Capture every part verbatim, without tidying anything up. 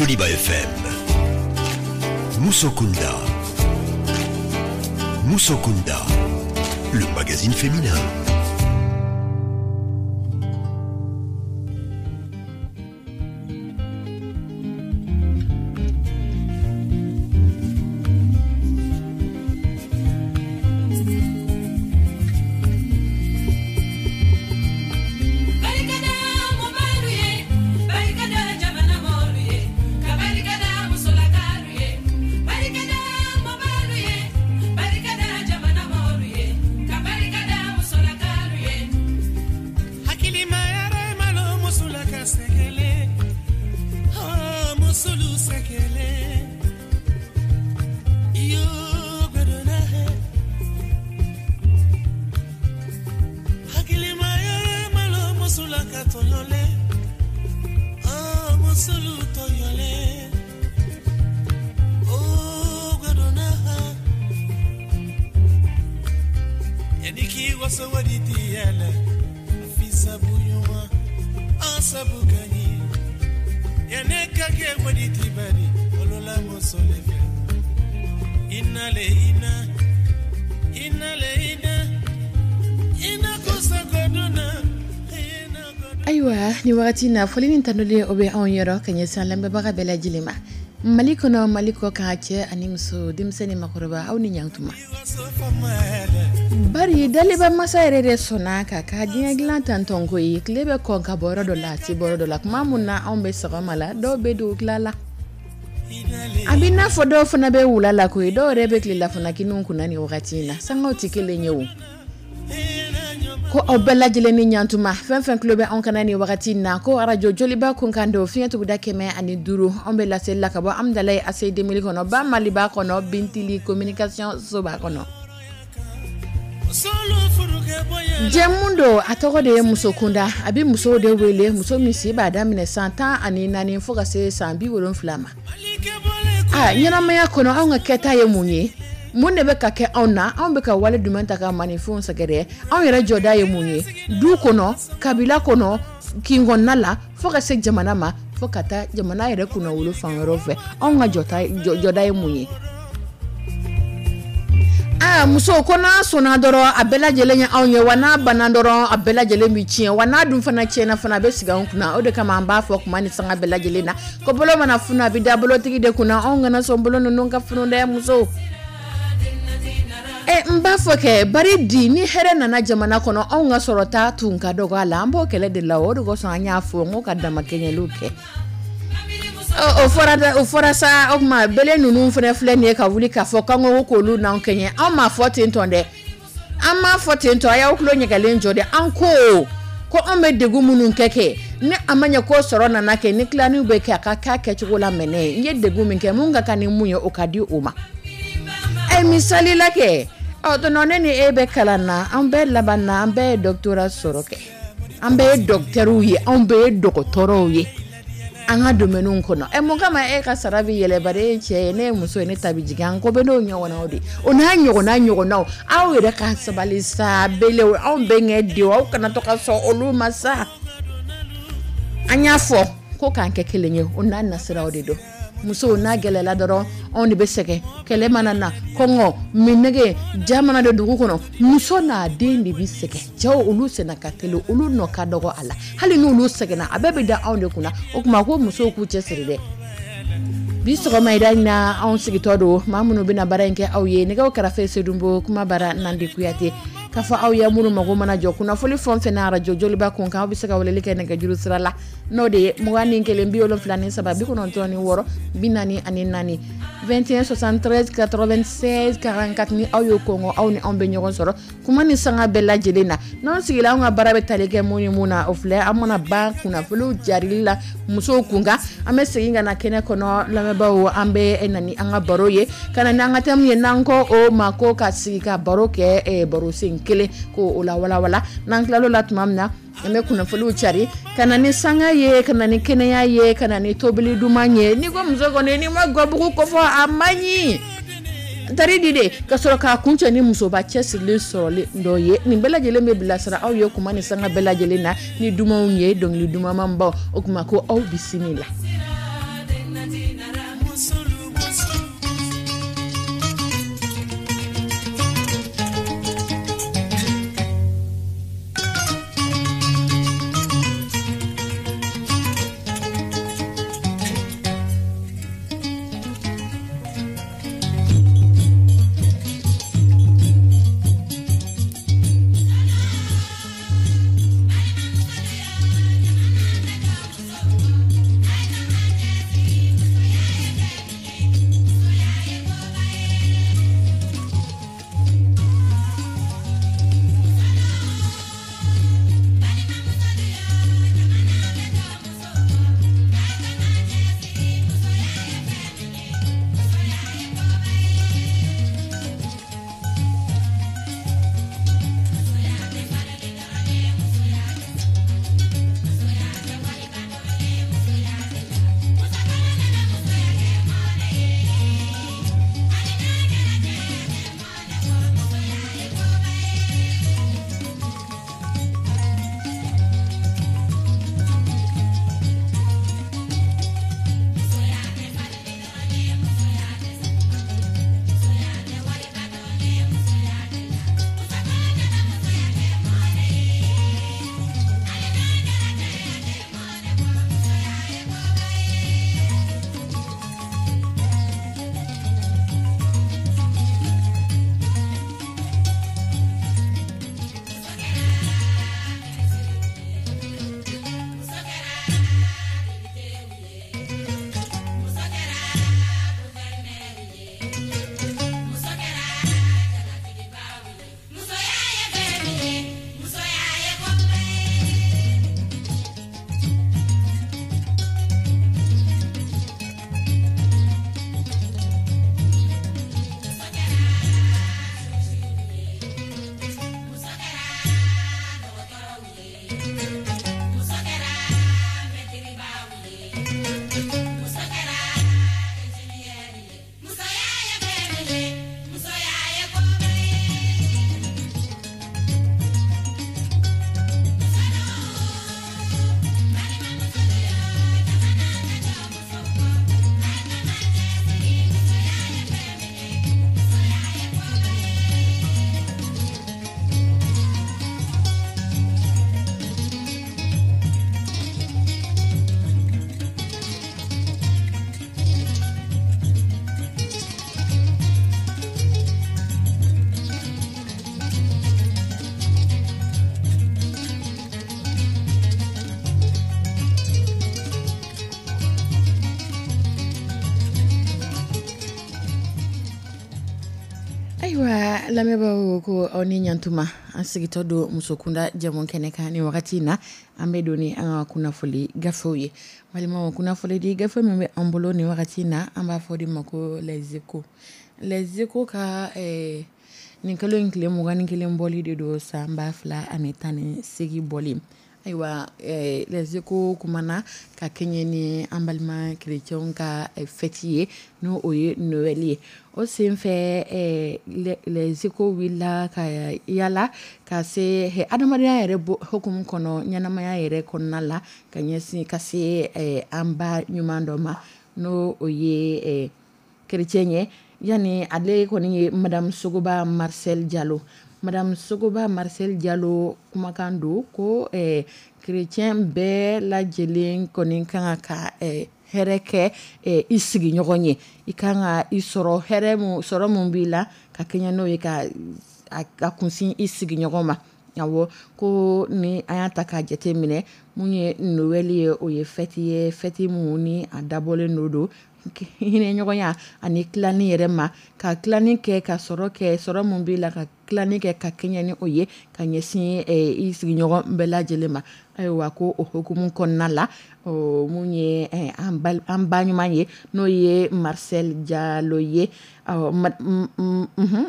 Joliba F M. Musokunda. Musokunda, le magazine féminin. Ayiwa, ni wagati na, foli ni tanuli, o bɛ anw yɔrɔ ka ɲɛsin lamɛnbaga bɛɛ lajɛlen ma, Mali kɔnɔ, Mali kɔ kan, cɛ ani muso, denmisɛnnin ni makɔrɔba, aw ni ɲantuma. Bari daliba masa yɛrɛ de sɔnna ka ka diɲɛ dilan tantɔn ko ye. Tile bɛ kɔn ka bɔ yɔrɔ dɔ la, a ti bɔ yɔrɔ dɔ la. Tuma mun na anw bɛ sɔgɔma la, dɔw bɛ dugutila la, a bɛ n'a fɔ dɔw fana bɛ wula la koyi, dɔw yɛrɛ bɛ tilelafana kiniw kunna nin wagati in na. Sangaw tɛ kelen ye o. Ko aw bɛɛ lajɛlen ni ɲantuma. Fɛn fɛn tulo bɛ anw kana nin wagati in na, ko arajo Joliba kunkan don, fiɲɛ tuguda kɛmɛ ani duuru. Anw bɛ laseli la ka bɔ Amudalayi A C Demili kɔnɔ, ba Maliba kɔnɔ, Bintili Communication soba kɔnɔ. Jɛmu don, a tɔgɔ de ye Musokunda. A bɛ musow de wele, muso min si b'a daminɛ san tan ani naani fo ka se san bi wolonfila ma. A ɲɛnamaya kɔnɔ, anw ka kɛta ye mun ye? Mun de bɛ ka kɛ anw na? Anw bɛ ka wale jumɛn ta ka maninfinw sɛgɛrɛ? Anw yɛrɛ jɔda ye mun ye du kɔnɔ, kabila kɔnɔ, kin kɔnɔna la, fo ka se jamana ma, fo ka taa jamana yɛrɛ kunnawolo fan wɛrɛw fɛ? Anw ka jɔda ye mun ye? Aa, muso ko n'a sɔnna dɔrɔn, a bɛɛ lajɛlen ye anw ye wa. N'a banna dɔrɔn, a bɛɛ lajɛlen bɛ tiɲɛ wa. N'a dun fana tiɲɛna fana, a bɛ sigi anw kunna. O de kama an b'a fɔ kuma ni sanga bɛɛ lajɛlen na ko bolo mana funu, a bɛ da bolotigi de kunna. Anw kana sɔn bolo ninnu ka funu dɛ, muso. Ɛ, n b'a fɔ kɛ bari di, ni hɛrɛ nana jamana kɔnɔ, anw ka sɔrɔta tun ka dɔgɔ a la. An b'o kɛlɛ de la. O de kosɔn an y'a fɔ n ko ka damakɛɲɛliw kɛ. O fɔra, o fɔra sa. O tuma bele ninnu fana filɛ nin ye ka wuli k'a fɔ k'an ko k'olu n'anw kɛɲɛ. Anw m'a fɔ ten tɔn dɛ, an m'a fɔ ten tɔ. A y'aw tulo ɲɛgɛlen jɔ dɛ. An ko ko anw bɛ degun minnu kɛ kɛ ni a ma ɲɛ ko sɔrɔ nana kɛ, ni tilaniw bɛ kɛ, a ka k'a kɛcogo la mɛnɛ. N ye degun min kɛ, mun ka kan ni mun ye, o ka di o ma. Ɛ, misali la kɛ, ɔ tɔnɔ, ne ni e bɛ kalan na, an bɛɛ laban na, an bɛɛ ye doctorat sɔrɔ kɛ, an bɛɛ ye docteurw ye, anw bɛɛ ye dɔgɔtɔrɔw ye an ka domaine kɔnɔ. Ɛ, mun kama e ka sara bɛ yɛlɛ, bari e ye cɛ ye, ne ye muso ye, ne ta bɛ jigin? An ko bɛ n'o ɲɔgɔnnaw de, o n'a ɲɔgɔnna ɲɔgɔnnaw. Aw yɛrɛ ka sabali sa, belew, anw bɛnkɛ denw, aw kana to ka sɔn olu ma sa. An y'a fɔ ko k'an kɛ kelen ye, o n'a nasiraw de don. Musow, n'a gɛlɛla dɔrɔn, anw de bɛ sɛgɛn. Kɛlɛ mana na, kɔngɔ, minnɛgɛ, ja mana don dugu kɔnɔ, muso n'a den de bɛ sɛgɛn. Cɛw, olu senna ka teli, olu nɔ ka dɔgɔ a la. Hali n'olu sɛgɛnna, a bɛɛ bɛ da anw de kunna. O tuma ko musow k'u cɛsiri dɛ. Bi sɔgɔma in na, anw sigitɔ don, maa minnu bɛna baara in kɛ aw ye, nɛgɛw kɛrɛfɛ Sedunbo, kuma bara Nandi Kuyate. K'a fɔ aw ye, minnu mago mana jɔ kunnafoni fɛn fɛn na arajo Joliba kun kan, aw bɛ se ka weleli kɛ nɛgɛjuru sira la, n'o de ye mugan ni kelen bi wolonfila ni saba bi kɔnɔntɔn ni wɔɔrɔ bi naani ani naani, vingt et un soixante-treize quatre-vingt-seize quarante-quatre. Ni aw y'o kɔngɔ, aw ni anw bɛ ɲɔgɔn sɔrɔ kuma ni sanga bɛɛ lajɛlen na. N'anw sigila, anw ka baara bɛ tali kɛ mun ni mun na, o filɛ: an mana ban kunnafoniw jarili la musow kun kan, an bɛ segin ka na kɛnɛ kɔnɔ. Lamɛnbaaw, an bɛ na ni an ka baro ye, ka na n'an ka thème ye, n'an ko o ma ko ka sigi ka baro kɛ, baro sen kelen ko o la walawala. N'an tilal'o la tuma min na, an bɛ kunnafoniw cari ka na ni sanga ye, ka na ni kɛnɛya ye, ka na ni tobili duman ye. N'i ko muso kɔni, n'i ma gabugu kofɔ, a man ɲi tari di de. Ka sɔrɔ k'a kuncɛ ni musoba cɛsirilen sɔrɔli dɔ ye. Nin bɛɛ lajɛlen bɛ bilasira aw ye kuma ni sanga bɛɛ lajɛlen na ni dumanw ye, dɔnkili dumanbaw. O tuma ko aw bisimila. Ayiwa lamɛnbaaw, ko aw ni ɲantuma. An sigitɔ don Musokunda jamu kɛnɛ kan. Ni wagati in na, an bɛ don ni an ka kunnafoni gafew ye. Balimaw, kunnafoni di gafe min bɛ an bolo ni wagati in na, an b'a fɔ de ma ko Les Échos. Les Échos ka eh, nin kalo in tile mugan ni kelen bɔli de don, san ba fila ani tan ni seegin bɔli. Ayiwa, eh, Les Échos kumana ka kɛɲɛ ni an balima kerecɛnw ka eh, fɛti ye, n'o o ye Noël ye. O senfɛ, eh, Les Échos wulila ka yala ka se eh, adamadenya yɛrɛ hukumu kɔnɔ, ɲɛnamaya yɛrɛ kɔnɔna la, ka ɲɛsin ka se eh, an ba ɲuman dɔ ma, n'o o ye eh, kerecɛn ye. Yani ale kɔni ye Madame Sogoba Marcel Diallo. Madame Sogoba Marcel Diallo kumakan don ko eh, kerecɛn bɛɛ lajɛlen kɔni kan ka eh, hɛrɛ kɛ eh, i sigiɲɔgɔn ye. I kan ka i sɔrɔ hɛrɛ mun sɔrɔ mun b'i la, ka kɛɲɛ n'o ye, ka a kunsin i sigiɲɔgɔn ma. Awɔ, ko ni an y'a ta k'a jate minɛ, mun ye Noël ye, o ye fɛti ye, fɛti mun ni a dabɔlen do don hinɛ ɲɔgɔnya ani tilani yɛrɛ ma, ka tilani kɛ, ka sɔrɔ kɛ, sɔrɔ mun b'i la, ka tilani kɛ ka kɛɲɛ ni o ye, ka ɲɛsin i sigiɲɔgɔn bɛɛ lajɛlen ma. Ayiwa, ko o hukumu kɔnɔna la, mun ye an ba ɲuman ye, n'o ye Marcel Diallo ye,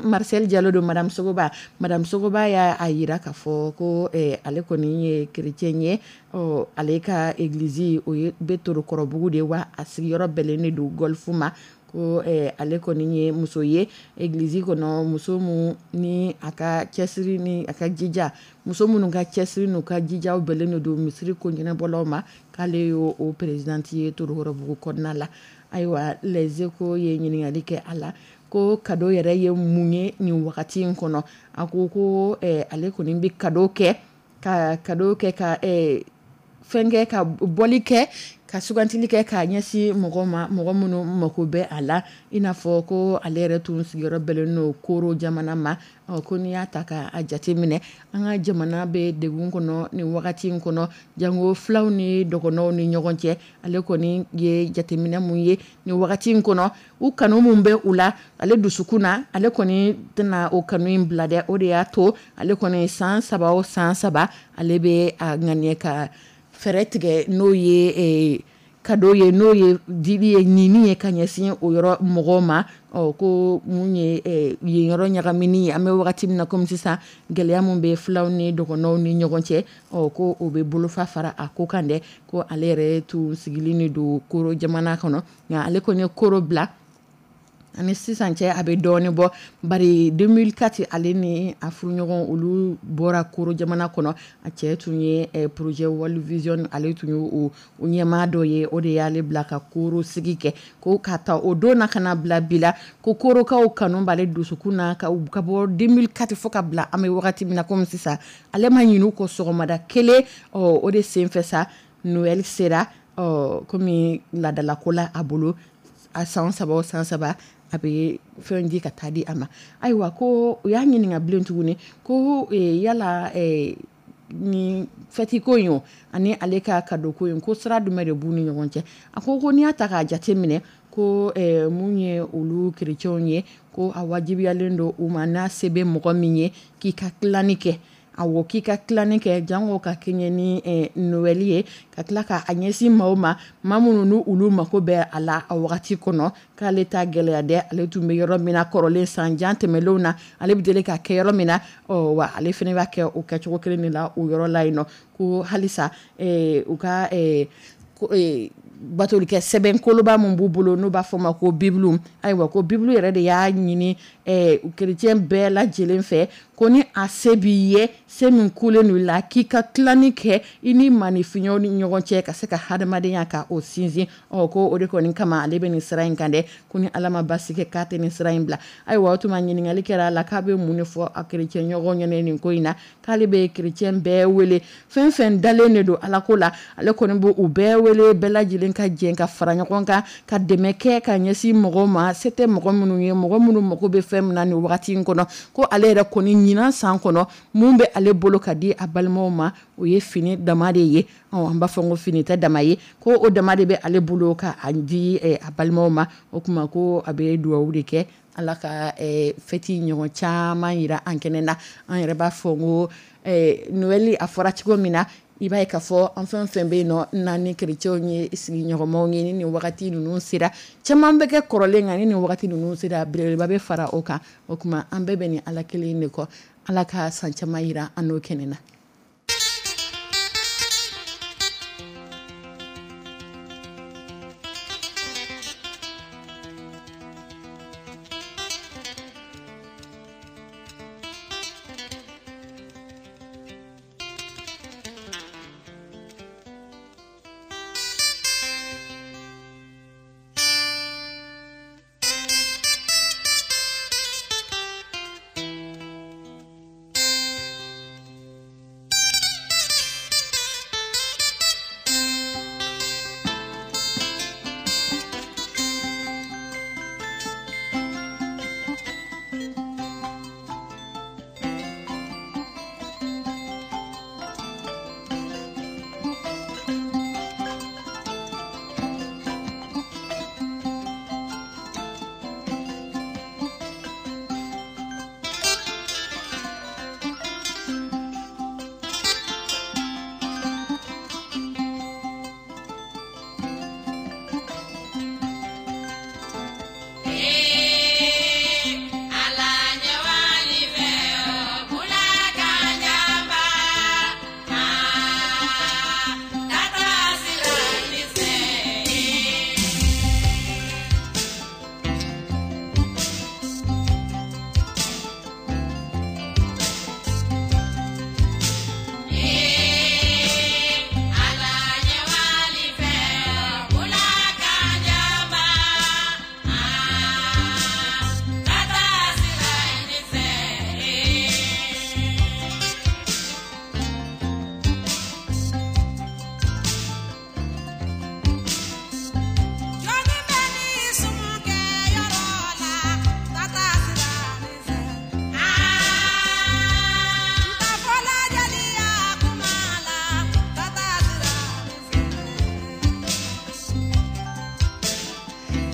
Marcel Diallo don, Madame Sogoba. Madame Sogoba y'a yira k'a fɔ ko ale kɔni ye kerecɛn ye. Ale ka egilizi, o ye bɛ Torokɔrɔbugu de wa, a sigiyɔrɔ bɛnnen de don Golf ma. Ko ale kɔni ye muso ye egilizi kɔnɔ, muso mun ni a ka cɛsiri ni a ka jija, muso minnu ka cɛsiri n'u ka jijaw bɛnnen don misiri ko ɲɛnabɔlaw ma, k'ale y'o o présidente ye Torokɔrɔbugu kɔnɔna la. Ayiwa, Les Échos ye ɲininkali kɛ a la ko cadeau yɛrɛ ye mun ye nin wagati in kɔnɔ. A ko ko ale kɔni bɛ cadeau kɛ, ka cadeau kɛ, ka fɛn kɛ, ka bɔli kɛ, ka sugantili kɛ k'a ɲɛsin mɔgɔ ma, mɔgɔ minnu mako bɛ a la. I n'a fɔ ko ale yɛrɛ tun sigiyɔrɔ bɛnnen don Koro jamana ma. Ko n'i y'a ta k'a jate minɛ, an ka jamana bɛ degun kɔnɔ nin wagati in kɔnɔ, jango filaw ni dɔgɔnɔw ni ɲɔgɔn cɛ. Ale kɔni ye jateminɛ mun ye nin wagati in kɔnɔ, u kanu mun bɛ u la ale dusukun na, ale kɔni tɛna o kanu in bila dɛ. O de y'a to ale kɔni san saba o san saba, ale bɛ a ŋaniya ka fɛɛrɛ tigɛ, n'o ye cadeau ye, n'o ye dili ye, ɲini ye ka ɲɛsin o yɔrɔ mɔgɔw ma. Ɔ ko mun ye yen yɔrɔ ɲagamini ye, an bɛ wagati min na komi sisan, gɛlɛya mun bɛ filaw ni dɔgɔnɔw ni ɲɔgɔn cɛ, ɔ ko o bɛ bolofa fara a ko kan dɛ. Ko ale yɛrɛ tun sigilen de don Koro jamana kɔnɔ, nka ale kɔni ye Koro bila ani sisan cɛ a bɛ dɔɔnin bɔ, bari deux mille quatre, ale ni a furuɲɔgɔn, olu bɔra Koro jamana kɔnɔ. A cɛ tun ye projet World Vision, ale tun ye o ɲɛmaa dɔ ye, o de y'ale bila ka Koro sigi kɛ. Ko ka ta o don na ka na bila bi la, ko Korokaw kanu b'ale dusukun na ka ka bɔ deux mille quatre fo ka bila an bɛ wagati min na komi sisan, ale ma ɲinɛ u kɔ sɔgɔmada kelen. Ɔ o de senfɛ sa, Noël sera. Ɔ komi laadalako la a bolo, a san saba o san saba, a bɛ fɛn di ka taa di a ma. Ayiwa, ko u y'a ɲininka bilen tuguni ko yala nin fɛti ko in o ani ale ka cadeau ko in, ko sira jumɛn de b'u ni ɲɔgɔn cɛ? A ko ko n'i y'a ta k'a jate minɛ, ko mun ye olu kerecɛnw ye, ko a wajibiyalen don u ma, n'a se bɛ mɔgɔ min ye, k'i ka tilani kɛ. Awɔ, k'i ka tilani kɛ, jango ka kɛɲɛ ni Noël ye, ka tila k'a ɲɛsin maaw ma, maa minnu n'u olu mako bɛ a la a wagati kɔnɔ. K'ale ta gɛlɛya dɛ, ale tun bɛ yɔrɔ min na kɔrɔlen, san jan tɛmɛnlenw na, ale bɛ deli ka kɛ yɔrɔ min na, ɔ wa ale fana b'a kɛ o kɛcogo kelen de la o yɔrɔ la yen nɔ. Ko halisa u ka batolikɛ sɛbɛn koloba min b'u bolo n'u b'a fɔ ma ko Bibulu. Ayiwa, ko Bibulu yɛrɛ de y'a ɲini kerecɛn bɛɛ lajɛlen fɛ ko ni a se b'i ye, se min kulen don i la, k'i ka tilani kɛ i ni maaninfinɲɔgɔnw ni ɲɔgɔn cɛ ka se ka hadamadenya ka o sinsin. Ɔ ko o de kɔni kama ale bɛ nin sira in kan dɛ, ko ni Ala ma basi kɛ k'a tɛ nin sira in bila. Ayiwa, o tuma ɲininkali kɛra a la k'a bɛ mun de fɔ a kerecɛn ɲɔgɔn ɲɛna nin ko in na, k'ale bɛ kerecɛn bɛɛ wele, fɛn fɛn dalen de don Ala ko la, ale kɔni b'u bɛɛ wele, bɛɛ lajɛlen ka jɛ ka fara ɲɔgɔn kan ka dɛmɛ kɛ ka ɲɛsin mɔgɔw ma, se tɛ mɔgɔ minnu ye, mɔgɔ minnu mago bɛ fɛn min na nin wagati in kɔnɔ. Ko ale yɛrɛ kɔni ɲinan san kɔnɔ, mun bɛ ale bolo ka di a balimaw ma, o ye fini dama de ye. An b'a fɔ ko fini tɛ dama ye, ko o dama de bɛ ale bolo ka a di a balimaw ma. O tuma ko a bɛ dugawu de kɛ Ala ka fɛti ɲɔgɔn caman yira an kɛnɛ na. An yɛrɛ b'a fɔ ko Noël a fɔra cogo min na, i b'a ye k'a fɔ an fɛn fɛn bɛ yen nɔ n'an ni kerecɛnw ye sigiɲɔgɔnmaw ye, ni nin wagati ninnu sera, caman bɛ kɛ kɔrɔlen kan, ni nin wagati ninnu sera, belebeleba bɛ fara o kan. O tuma an bɛɛ bɛ nin Ala kelen de kɔ. Ala ka san caman yira an n'o kɛnɛ na.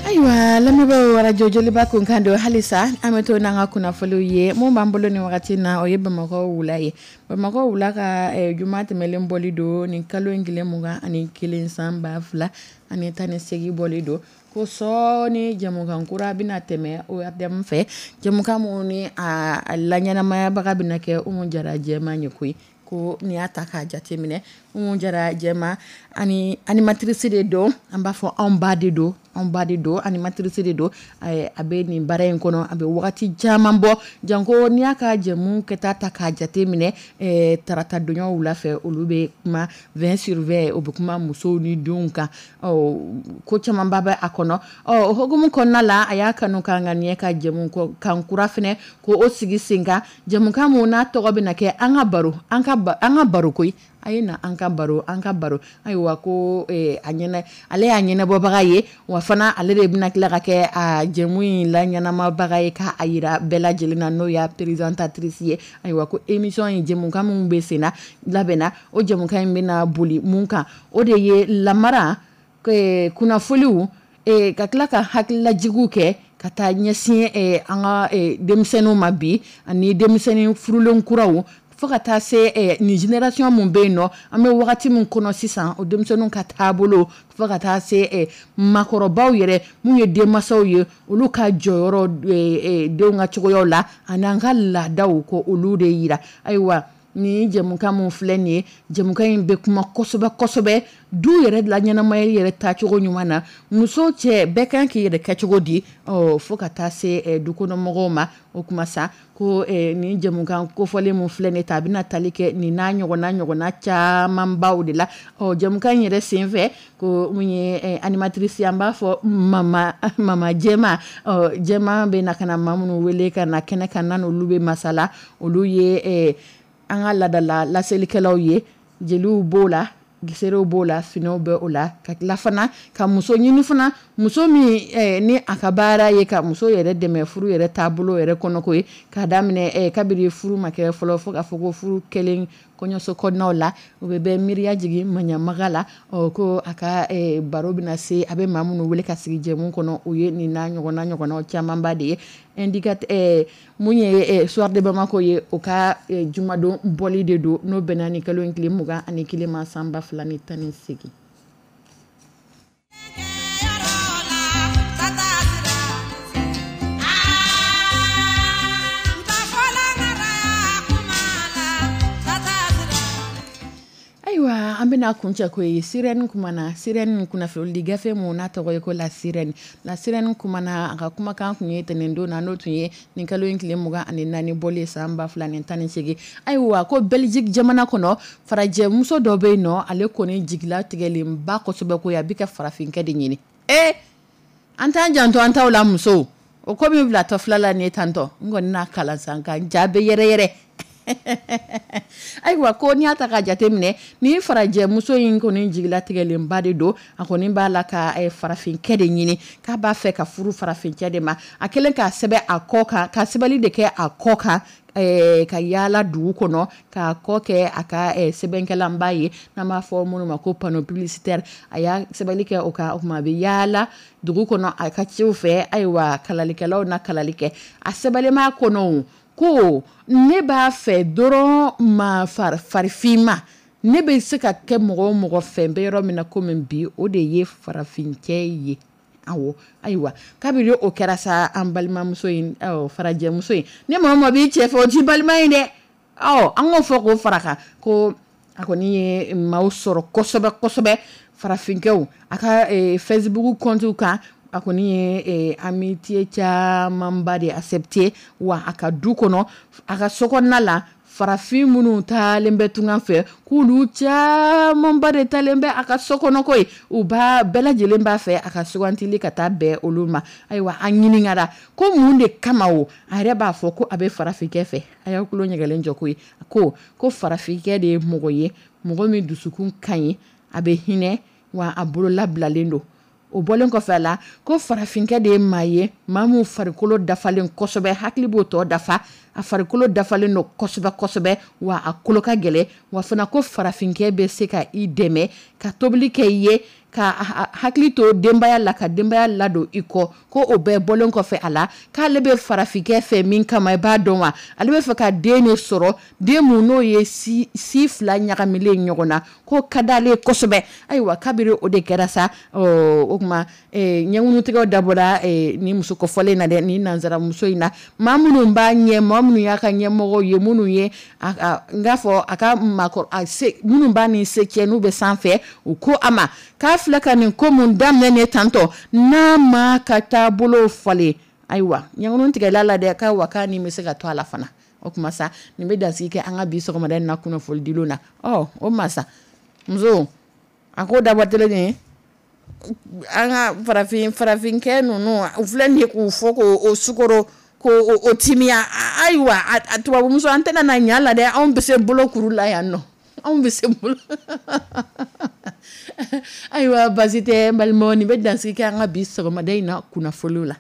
Ayiwa, lamɛnbaaw, arajo Joliba kunkan don. Halisa an bɛ to n'an ka kunnafoniw ye. Mun b'an bolo nin wagati na, o ye Bamakɔ wula ye. Bamakɔ wula ka juma tɛmɛlen bɔli don nin kalo in tile mugan ani kelen san ba fila ani tan ni seegin bɔli don, ko sɔɔni jɛmukan kura bɛna tɛmɛ O R D M fɛ, jɛmukan mun ni a laɲɛnamayabaga bɛna kɛ Umu Jara Jɛma ye koyi. Ko n'i y'a ta k'a jateminɛ, Umu Jara Jɛma ani animatrice de don, an b'a fɔ anw ba de don, anw ba de don, animatrice de don. A bɛ nin baara in kɔnɔ, a bɛ wagati caman bɔ, janko n'i y'a ka jɛmu kɛta ta k'a jateminɛ, tarata donyaw wula fɛ, olu bɛ kuma vingt sur vingt, o bɛ kuma musow ni denw kan, ko camanba bɛ a kɔnɔ. Ɔ o hukumu kɔnɔna la, a y'a kanu k'an ka ɲɛ ka jɛmu kan kura fɛnɛ ko o sigi sen kan, jɛmukan mun n'a tɔgɔ bɛna kɛ an ka baro, an ka an ka baro koyi. A ye na an ka baro, an ka baro. Ayiwa, ko a ɲɛnɛ, ale y'a ɲɛnabɔbaga ye, wa fana ale de bɛna tila ka kɛ a jɛmu in la ɲɛnamabaga ye k'a yira bɛɛ lajɛlen na, n'o y'a présentatrice ye. Ayiwa, ko émission in jɛmukan min bɛ sen na labɛnna, o jɛmukan in bɛna boli mun kan, o de ye lamara, kunnafoniw, ka tila ka hakililajigiw kɛ ka taa ɲɛsin an ka denmisɛnninw ma bi, ani denmisɛnnin furulen kuraw, fo ka taa se nin génération mun bɛ yen nɔ, an bɛ wagati min kɔnɔ sisan, o denmisɛnninw ka taabolo, fo ka taa se maakɔrɔbaw yɛrɛ mun ye denmansaw ye, olu ka jɔyɔrɔ denw ka cogoyaw la, ani an ka laadaw ko olu de yira. Ayiwa, Ni jɛmukan min filɛ nin ye, jɛmukan in bɛ kuma kosɛbɛ kosɛbɛ du yɛrɛ la, ɲɛnamaya yɛrɛ taacogo ɲuman na, muso, cɛ, bɛɛ kan k'i yɛrɛ kɛcogo di, ɔ fo ka taa se dukɔnɔmɔgɔw ma. O kuma sa, ko nin jɛmukan kofɔlen min filɛ nin ta, a bɛna tali kɛ nin n'a ɲɔgɔnna ɲɔgɔnna camanbaw de la. Ɔ jɛmukan in yɛrɛ senfɛ, ko mun ye animatrice, an b'a fɔ mama mama Jɛma. Ɔ Jɛma bɛ na ka na maa minnu wele ka na kɛnɛ kan, n'a n'olu bɛ masala, olu ye an ka laadala laselikɛlaw ye. Jeliw b'o la, giserew b'o la, finiw bɛ o la, ka tila fana ka muso ɲini fana, muso min ni a ka baara ye ka muso yɛrɛ dɛmɛ furu yɛrɛ taabolo yɛrɛ kɔnɔko ye, k'a daminɛ kabiri furu ma kɛ fɔlɔ, fo k'a fɔ ko furu kɛlen kɔɲɔso kɔnɔnaw la, u bɛ bɛ miiriya jigin maɲamaga la. Ɔ ko a ka baro bɛna se, a bɛ maa minnu wele ka sigi jɛmu kɔnɔ, o ye nin n'a ɲɔgɔnna ɲɔgɔnnaw camanba de ye. Indicateur mun ye Soir de Bamako ye, o ka jumadon bɔli de don, n'o bɛnna ni kalo in tile mugan ani kelen ma, san ba fila ni tan ni seegin. Ayiwa, an bɛna kuncɛ ko ye Sirène kumana. Sirène kunnafonidi gafe mun n'a tɔgɔ ye ko La Sirène. La Sirène kumana, a ka kumakan tun ye tɛnɛndon na, n'o tun ye nin kalo in tile mugan ani naani bɔlen san ba fila ni tan ni seegin. Ayiwa, ko Belgique jamana kɔnɔ, farajɛ muso dɔ bɛ yen nɔ, ale kɔni jigila tigɛlenba kosɛbɛ, ko a bɛ ka farafinkɛ de ɲini. Ee, an t'an janto an taw la, musow. O ko min bila tɔ fila la nin ye tantɔ, n kɔni n'a kalan san ka ja bɛ yɛrɛ yɛrɛ. Ayiwa, ko n'i y'a ta ka jate minɛ, ni farajɛ muso in kɔni jigilatigɛlenba de don, a kɔni b'a la ka farafinkɛ de ɲini, k'a b'a fɛ ka furu farafinkɛ de ma. A kɛlen k'a sɛbɛn a kɔ kan, ka sɛbɛnni de kɛ a kɔ kan, ka yaala dugu kɔnɔ k'a kɔ kɛ a ka sɛbɛnkɛlanba ye, n'an b'a fɔ minnu ma ko panneau publicitaire. A y'a sɛbɛnni kɛ o kan, o tuma a bɛ yaala dugu kɔnɔ a ka ciw fɛ. Ayiwa, kalalikɛlaw na kalali kɛ a sɛbɛnlen kɔnɔ ko ne b'a fɛ dɔrɔn ma farifinma, ne bɛ se ka kɛ mɔgɔ o mɔgɔ fɛ n bɛ yɔrɔ min na komi bi, o de ye farafincɛ ye. Awɔ, ayiwa, kabini o kɛra sa, an balimamuso in, farajɛmuso in, ni maa o maa b'i cɛ fɛ, o t'i balima ye dɛ. Ɔ an k'o fɔ k'o fara kan, ko a kɔni ye maaw sɔrɔ kosɛbɛ kosɛbɛ, farafinkɛw, a ka Facebook compte kan, a kɔni ye amitié camanba de accepté. Wa a ka du kɔnɔ, a ka so kɔnɔna la, farafin minnu taalen bɛ tunga fɛ, k'olu camanba de taalen bɛ a ka so kɔnɔ ko ye, u b'a bɛɛ lajɛlen b'a fɛ a ka sugantili ka taa bɛn olu ma. Ayiwa, an ɲininkara ko mun de kama o, a yɛrɛ b'a fɔ ko a bɛ farafinkɛ fɛ. A y'aw tulo ɲɛgɛlen jɔ ko ye, ko ko farafinkɛ de ye mɔgɔ ye, mɔgɔ min dusukun ka ɲi, a bɛ hinɛ, wa a bolo labilalen don. O bɔlen kɔfɛ a la, ko farafinkɛ de ye maa ye, maa min farikolo dafalen kosɛbɛ, hakili b'o tɔ dafa, a farikolo dafalen don kosɛbɛ kosɛbɛ, wa a kolo ka gɛlɛn. Wa fana ko farafinkɛ bɛ se ka i dɛmɛ ka tobili kɛ i ye, ka hakili to denbaya la, ka denbaya ladon i kɔ. Ko o bɛɛ bɔlen kɔfɛ a la, k'ale bɛ farafinkɛ fɛ min kama, i b'a dɔn wa, ale bɛ fɛ ka den de sɔrɔ, den mun n'o ye si si fila ɲagamilen ɲɔgɔn na, ko ka d'ale kosɛbɛ. Ayiwa, kabiri o de kɛra sa, o tuma ɲɛŋunutigɛw dabɔra ni muso kɔfɔlen na dɛ, ni nanzaramuso in na, maa minnu b'a ɲɛ, maa minnu y'a ka ɲɛmɔgɔw ye, minnu ye n k'a fɔ a ka maakɔrɔ, a se minnu b'a ni se cɛ, n'u bɛ sanfɛ, u ko a ma k'a filɛ ka nin ko mun daminɛ nin tantɔ, n'a ma ka taabolo falen, ayiwa, ɲɛŋunu tigɛla la dɛ, k'a wa k'a ni bɛ se ka to a la fana. O tuma sa, nin bɛ dansigi kɛ an ka bi sɔgɔmada in na kunnafonidilenw na. Ɔ o masa muso, a ko dabɔ telen nin ye, an ka farafin farafinkɛ ninnu, u filɛ nin ye k'u fɔ k'o sukoro k'o o timiya. Ayiwa, a tubabumuso, an tɛna na ɲa la dɛ, anw bɛ se bolo kuru la yan nɔ, anw bɛ se bolo. Ayiwa, baasi tɛ n balimaw, nin bɛ dansigi kɛ an ka bi sɔgɔmada in na kunnafoniw la.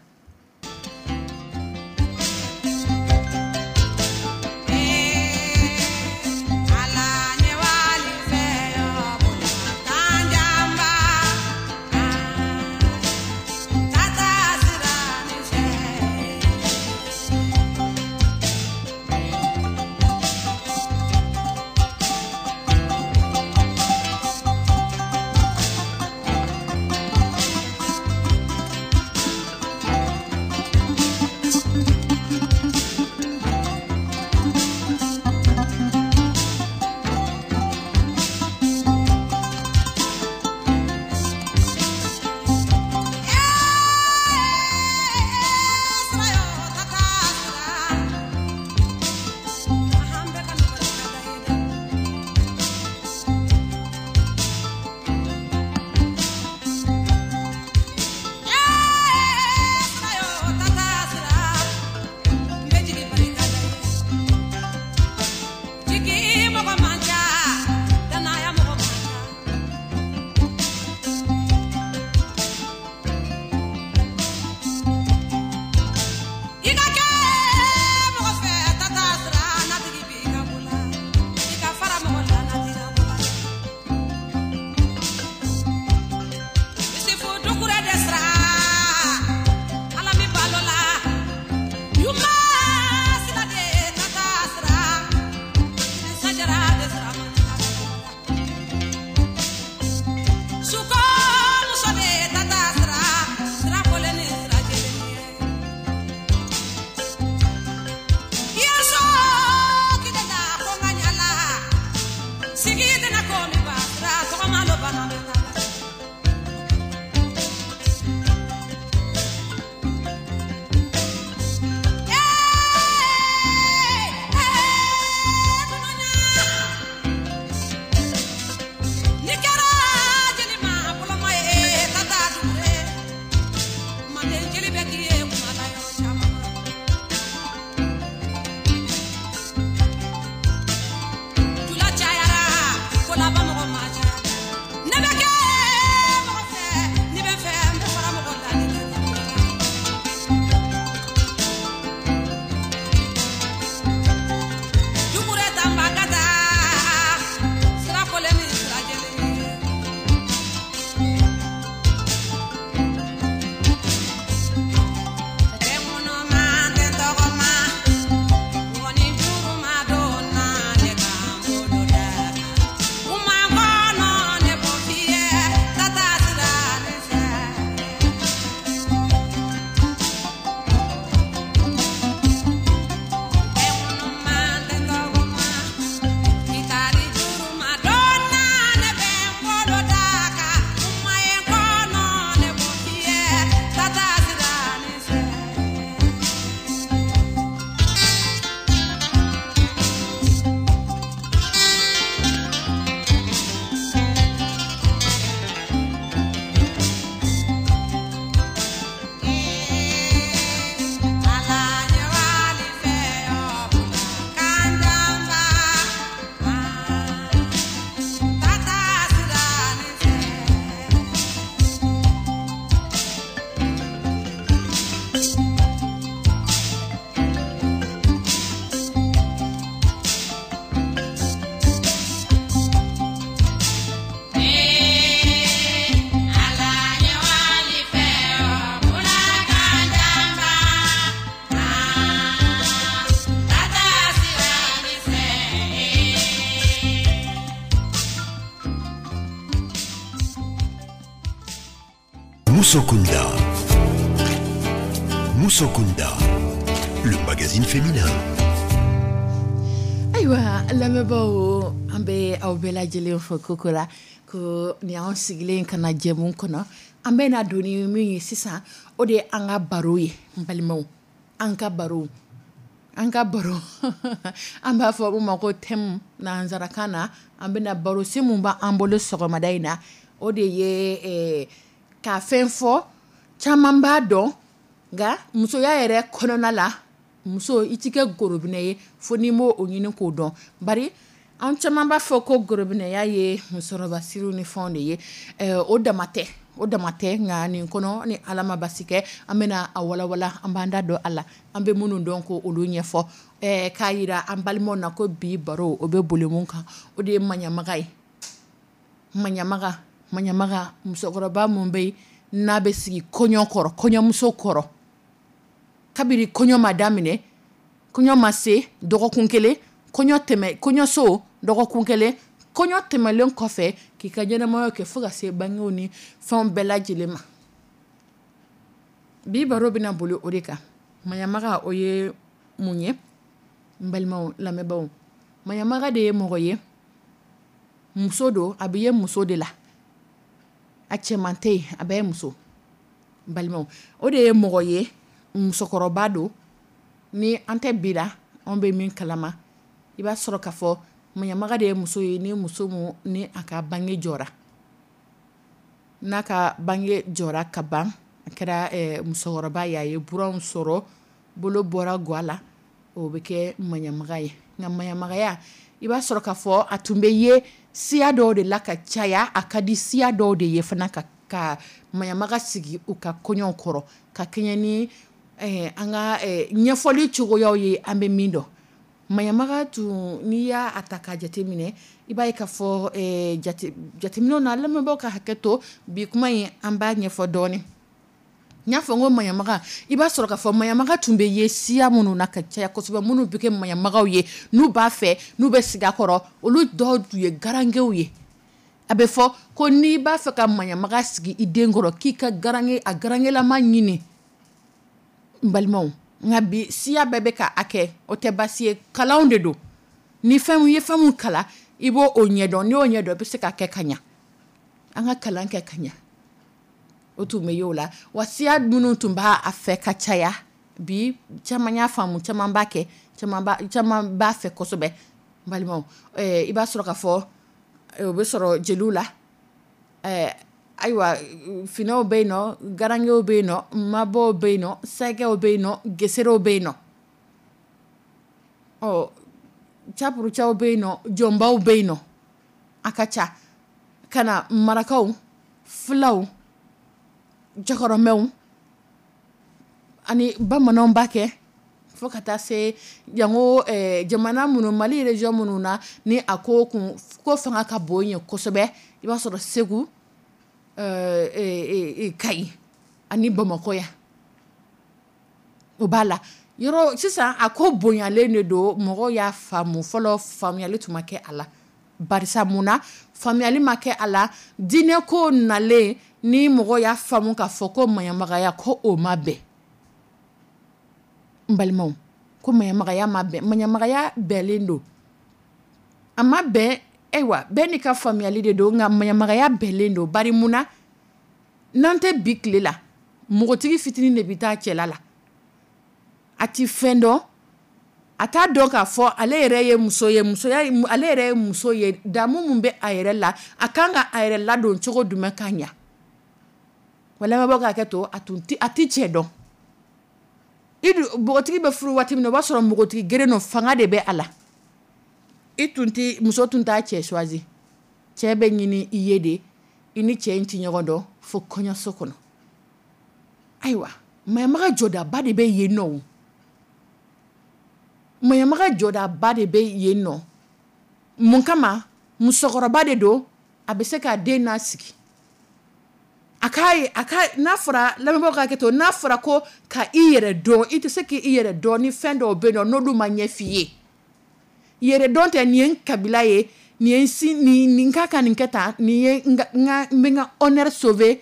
Musokunda. Musokunda, le magazine féminin. Ayiwa lamɛnbaaw, an bɛ aw bɛɛ lajɛlen fo koko la ko nin y'anw sigilen ka na jɛmu kɔnɔ. An bɛ na don ni min ye sisan, o de ye an ka baro ye. N balimaw, an ka baro, an ka baro, an b'a fɔ o ma ko thème nansarakan na. An bɛna baro se mun b'an bolo sɔgɔmada in na, o de ye eh, ka fɛn fɔ caman b'a dɔn, nka musoya yɛrɛ kɔnɔna la, muso i ti kɛ gorobinɛ ye fo n'i m'o o ɲini k'o dɔn. Bari an caman b'a fɔ ko gorobinɛya ye musɔrɔbasiriw ni fɛnw de ye. eh, o dama tɛ, o dama tɛ. Nka nin kɔnɔ, ni Ala ma basi kɛ, an bɛna a walawala, an b'an da don a la, an bɛ minnu dɔn ko olu ɲɛfɔ, eh, k'a yira an balimaw na ko bi baro o bɛ boli mun kan, o de ye maɲamaga ye. Maɲamaga, maɲamaga, musokɔrɔba mun bɛ yen n'a bɛ sigi kɔɲɔ kɔrɔ, kɔɲɔmuso kɔrɔ, kabini kɔɲɔ ma daminɛ, kɔɲɔ ma se dɔgɔkun kelen, kɔɲɔ tɛmɛ, kɔɲɔso dɔgɔkun kelen, kɔɲɔ tɛmɛlen kɔfɛ, k'i ka ɲɛnamaya kɛ fo ka se bangew ni fɛnw bɛɛ lajɛlen ma. Bi baro bɛna boli o de kan. Maɲamaga, o ye mun ye? N balimaw lamɛnbaaw, maɲamaga de ye mɔgɔ ye, muso don, a bɛ ye muso de la, a cɛman tɛ yen, a bɛɛ ye muso. N balimaw, o de ye mɔgɔ ye, musokɔrɔba don. Ni an tɛ bi la, anw bɛ min kalama, i b'a sɔrɔ k'a fɔ maɲamaga de ye muso ye, ni muso mun ni a ka bange jɔra, n'a ka bange jɔra ka ban, a kɛra eh, musokɔrɔba ye, a ye buranw sɔrɔ, bolo bɔra gwa la, o bɛ kɛ maɲamaga ye. Nka maɲamagaya, i b'a sɔrɔ k'a fɔ a tun bɛ ye siya dɔw de la ka caya. A ka di siya dɔw de ye fana ka ka maɲamaga sigi u ka kɔɲɔw kɔrɔ, ka kɛɲɛ ni eh, an ka eh, ɲɛfɔli cogoyaw ye. An bɛ min dɔn maɲamaga tun, n'i y'a ta k'a jateminɛ, i b'a ye k'a fɔ eh, jate jateminɛw na, lamɛnbaaw ka hakɛ to, bi kuma in an b'a ɲɛfɔ dɔɔnin. N y'a fɔ n ko maɲamaga, i b'a sɔrɔ k'a fɔ maɲamaga tun bɛ ye siya minnu na ka caya kosɛbɛ, minnu bɛ kɛ maɲamagaw ye, n'u b'a fɛ, n'u bɛ sigi a kɔrɔ, olu dɔw tun ye garangew ye. A bɛ fɔ ko n'i b'a fɛ ka maɲamaga sigi i den kɔrɔ, k'i ka garange, a garangelama ɲini. N balimaw, nka bi siya bɛɛ bɛ ka a kɛ, o tɛ baasi ye, kalanw de don. Ni fɛn ye fɛn mun kalan, i b'o o ɲɛdɔn. N'i y'o ɲɛdɔn, i bɛ se ka kɛ ka ɲa. An ka kalan kɛ ka ɲa. O tun bɛ ye o la wa. Siya minnu tun b'a a fɛ ka caya, bi caman y'a faamu, caman b'a kɛ, caman b'a caman b'a fɛ kosɛbɛ. N balimaw, ɛɛ i b'a sɔrɔ k'a fɔ o bɛ sɔrɔ jeliw la. ɛɛ ayiwa finɛw bɛ yen nɔ, garangew bɛ yen nɔ, mabɔw bɛ yen nɔ, sɛgɛw bɛ yen nɔ, geserew bɛ yen nɔ, ɔ capurucaw bɛ yen nɔ, jɔnbaw bɛ yen nɔ, a ka ca ka na marakaw, filaw, jɔkɔrɔmɛw ani bamananw b'a kɛ, fo ka taa se jango eh, jamana minnu, Mali région minnu na, ni a ko kun ko fanga ka bon yen kosɛbɛ. I b'a sɔrɔ Segu, eh, eh, eh, Kayi ani Bamakɔ yan, o b'a la yɔrɔ. Sisan a ko bonyalen de don, mɔgɔw y'a faamu. Fɔlɔ faamuyali tun ma kɛ a la. Barisa mun na faamuyali ma kɛ a la? Diinɛ ko nalen ni mɔgɔ y'a faamu k'a fɔ ko maɲamagaya ko o ma bɛn. N balimaw, ko maɲamagaya ma bɛn, maɲamagaya bɛnlen don, a ma bɛn. Ayiwa, bɛɛ n'i ka faamuyali de don, nka maɲamagaya bɛnlen don. Bari mun na? N'an tɛ bi tile la, npogotigi fitinin de bɛ taa cɛla la, a ti fɛn dɔn, a t'a dɔn k'a fɔ ale yɛrɛ ye muso ye, musoya, ale yɛrɛ ye muso ye, damu mun bɛ a yɛrɛ la, a kan ka a yɛrɛ ladon cogo jumɛn ka ɲa. Wa lamɛnbaaw ka hakɛ to, a tun ti a ti cɛ dɔn. I dun npogotigi bɛ furu waati min na, o b'a sɔrɔ npogotigi geren don, fanga de bɛ a la. I tun ti muso tun t'a cɛ choisi, cɛ bɛ ɲini i ye de. I ni cɛ in ti ɲɔgɔn dɔn fo kɔɲɔso kɔnɔ. Ayiwa, maɲamaga jɔdaba de bɛ yen nɔ, maɲamaga jɔdaba de bɛ yen nɔ. Mun kama? Musokɔrɔba de don, a bɛ se k'a den n'a sigi, a k'a ye, a ka n'a fɔra, lamɛnbaaw ka hakɛ to, n'a fɔra ko ka i yɛrɛ dɔn, i tɛ se k'i yɛrɛ dɔn ni fɛn dɔw bɛ yen nɔ n'olu ma ɲɛ f'i ye. Yɛrɛ dɔn tɛ nin ye n kabila ye, nin ye n si, nin nin ka kan nin kɛ tan, nin ye n ka n ka n bɛ n ka honneur sauver.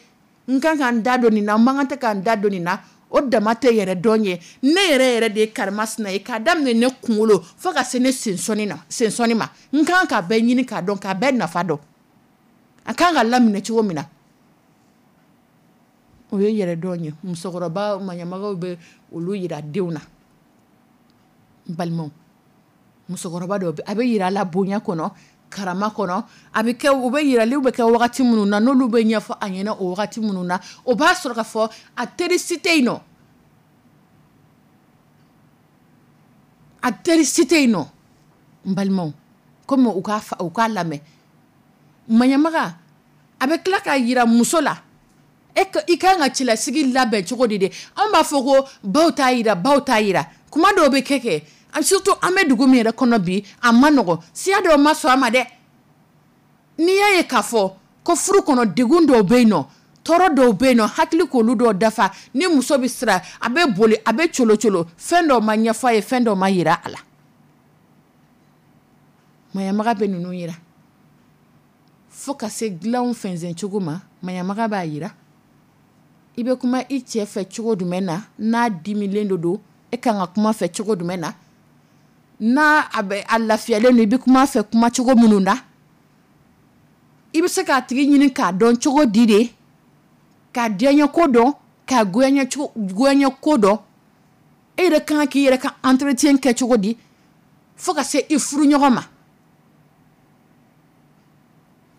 N kan ka n da don nin na, n man kan tɛ ka n da don nin na. O dama tɛ yɛrɛ dɔn ye. Ne yɛrɛ yɛrɛ de ye karimasina ye, k'a daminɛ ne kunkolo fo ka se ne sensɔni na, sensɔni ma. N kan ka bɛɛ ɲini k'a dɔn, k'a bɛɛ nafa dɔn, a kan ka laminɛ cogo min na. O ye yɛrɛ dɔn ye. Musokɔrɔba maɲamagaw bɛ olu yira denw na. N balimaw, musokɔrɔba dɔw bɛ, a bɛ yira a la bonya kɔnɔ, karama kɔnɔ. A bɛ kɛ, u bɛ yiraliw bɛ kɛ wagati minnu na, n'olu bɛ ɲɛfɔ a ɲɛna o wagati minnu na, o b'a sɔrɔ k'a fɔ a teri si tɛ yen nɔ, a teri si tɛ yen nɔ. N balimaw, komi u k'a fa, u k'a lamɛn. Maɲamaga a bɛ tila k'a yira muso la, e ka, i kan ka cɛlasigi labɛn cogo di de? Anw b'a fɔ ko baw t'a yira, baw t'a yira. Kuma dɔw bɛ kɛ kɛ, surtout an bɛ dugu min yɛrɛ kɔnɔ bi, a ma nɔgɔn. Siya dɔw ma sɔn a ma dɛ. N'i y'a ye k'a fɔ ko furu kɔnɔ degun dɔw bɛ yen nɔ, tɔɔrɔ dɔw bɛ yen nɔ, hakili k'olu dɔw dafa, ni muso bɛ siran, a bɛ boli, a bɛ colo colo, fɛn dɔw ma ɲɛfɔ a ye, fɛn dɔw ma yira a la. Maɲamaga bɛ ninnu yira fo ka se dilanw fɛnsɛn cogo ma. Maɲamaga b'a yira i bɛ kuma i cɛ fɛ cogo jumɛn na, n'a dimilen do don, e kan ka kuma fɛ cogo jumɛn na, n'a a bɛ a lafiyalen don, i bɛ kuma fɛ kuma cogo minnu na, i bɛ se k'a tigi ɲini k'a dɔn cogo di de, k'a diyaɲɛ ko dɔn, k'a goyaɲɛ cogo, goyaɲɛ ko dɔn. E yɛrɛ kan k'i yɛrɛ ka entretien kɛ cogo di fo ka se i furu ɲɔgɔn ma.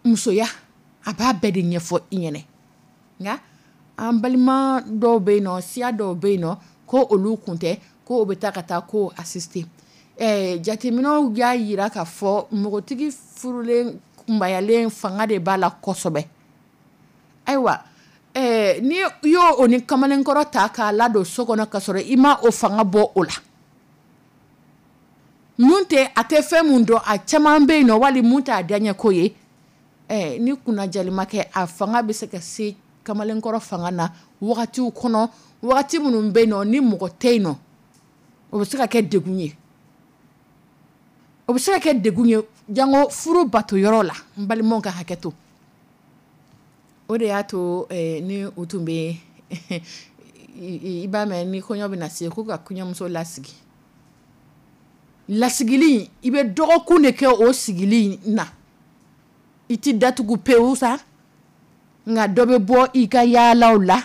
Musoya a b'a bɛɛ de ɲɛfɔ i ɲɛnɛ. Nka an balima dɔw bɛ yen nɔ, siya dɔw bɛ yen nɔ, ko olu kun tɛ, ko o bɛ taa ka taa ko assister. Ɛɛ jateminɛw y'a yira k'a fɔ npogotigi furulen kunbayalen fanga de b'a la kosɛbɛ. Ayiwa, ɛɛ ni i y'o o ni kamalenkɔrɔ ta k'a ladon so kɔnɔ ka sɔrɔ i ma o fanga bɔ o la, mun tɛ a tɛ fɛn mun dɔn, a caman bɛ yen nɔ, wali mun t'a diyaɲɛ ko ye. Ɛɛ ni kunnajali ma kɛ, a fanga bɛ se ka se kamalenkɔrɔ fanga na wagatiw kɔnɔ, wagati minnu bɛ yen nɔ ni mɔgɔ tɛ yen nɔ, o bɛ se ka kɛ degun ye. O bɛ se ka kɛ degun ye jango furu bato yɔrɔ la. N balimaw ka hakɛ to. O de y'a to, eh, ni u tun bɛ i b'a mɛn ni kɔɲɔ bɛ na se k'u ka kɔɲɔmuso lasigi. Lasigili, i bɛ dɔgɔkun de kɛ o sigili na. I ti datugu pewu sa, nka dɔ bɛ bɔ i ka yaalaw la,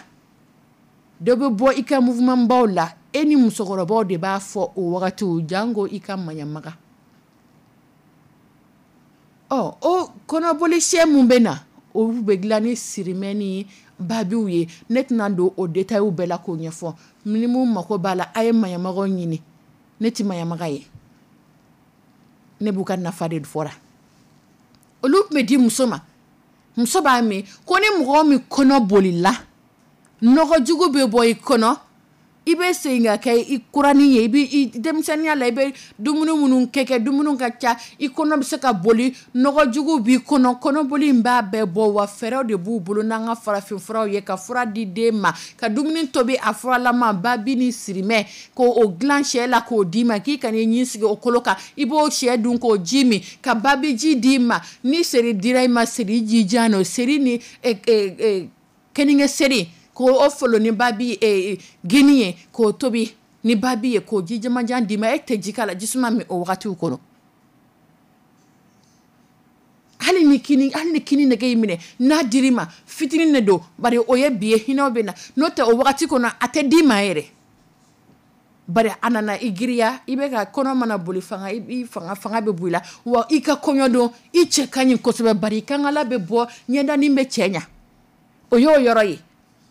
dɔ bɛ bɔ i ka mouvement baw la. E ni musokɔrɔbaw de b'a fɔ o wagatiw, jango i ka maɲamaga. Ɔ o kɔnɔboli siyɛn mun bɛ na, o bɛ dilan ni sirimɛ ni babiw ye. Ne tɛna don o détails bɛɛ la k'o ɲɛfɔ. Ni mun mako b'a la, a ye maɲamagaw ɲini. Ne tɛ maɲamaga ye, ne b'u ka nafa de fɔra. Olu tun bɛ di muso ma, muso b'a min ko ni mɔgɔ min kɔnɔ bolila, nɔgɔ jugu bɛ bɔ i kɔnɔ, i bɛ segin ka kɛ i kuranin ye. I bɛ i denmisɛnninya la, i bɛ dumuni minnu kɛ kɛ, dumuni ka ca, i kɔnɔ bɛ se ka boli, nɔgɔ jugu b'i kɔnɔ, kɔnɔboli in b'a bɛɛ bɔ. Wa fɛɛrɛw de b'u bolo n'an ka farafin furaw ye, ka fura di den ma, ka dumuni tobi a furalama, babi ni sirimɛ, k'o dilan sɛ la k'o d'i ma, k'i kana i ɲin sigi o kolo kan, i b'o sɛ dun k'o ji min, ka babi ji d'i ma. Ni seri dira i ma, seri jijan don, seri ni, eh, eh, eh, keninge seri, k'o o folo ni babi, eh, gini ye, k'o tobi ni babi ye, k'o ji jamajan d'i ma. E tɛ ji k'a la, jisuma min o wagatiw kɔnɔ. Hali ni kini, hali ni kini nege y'i minɛ, n'a dir'i ma fitinin de don, bari o ye bi ye, hinɛw bɛ na. N'o tɛ o wagati kɔnɔ a tɛ d'i ma yɛrɛ, bari a nana i giriya, i bɛ ka kɔnɔ mana boli fanga, i fanga, fanga bɛ bɔ i la. Wa i ka kɔɲɔ don, i cɛ ka ɲi kosɛbɛ, bari i kankala bɛ bɔ, ɲɛdanin bɛ cɛ ɲa. O y'o yɔrɔ ye,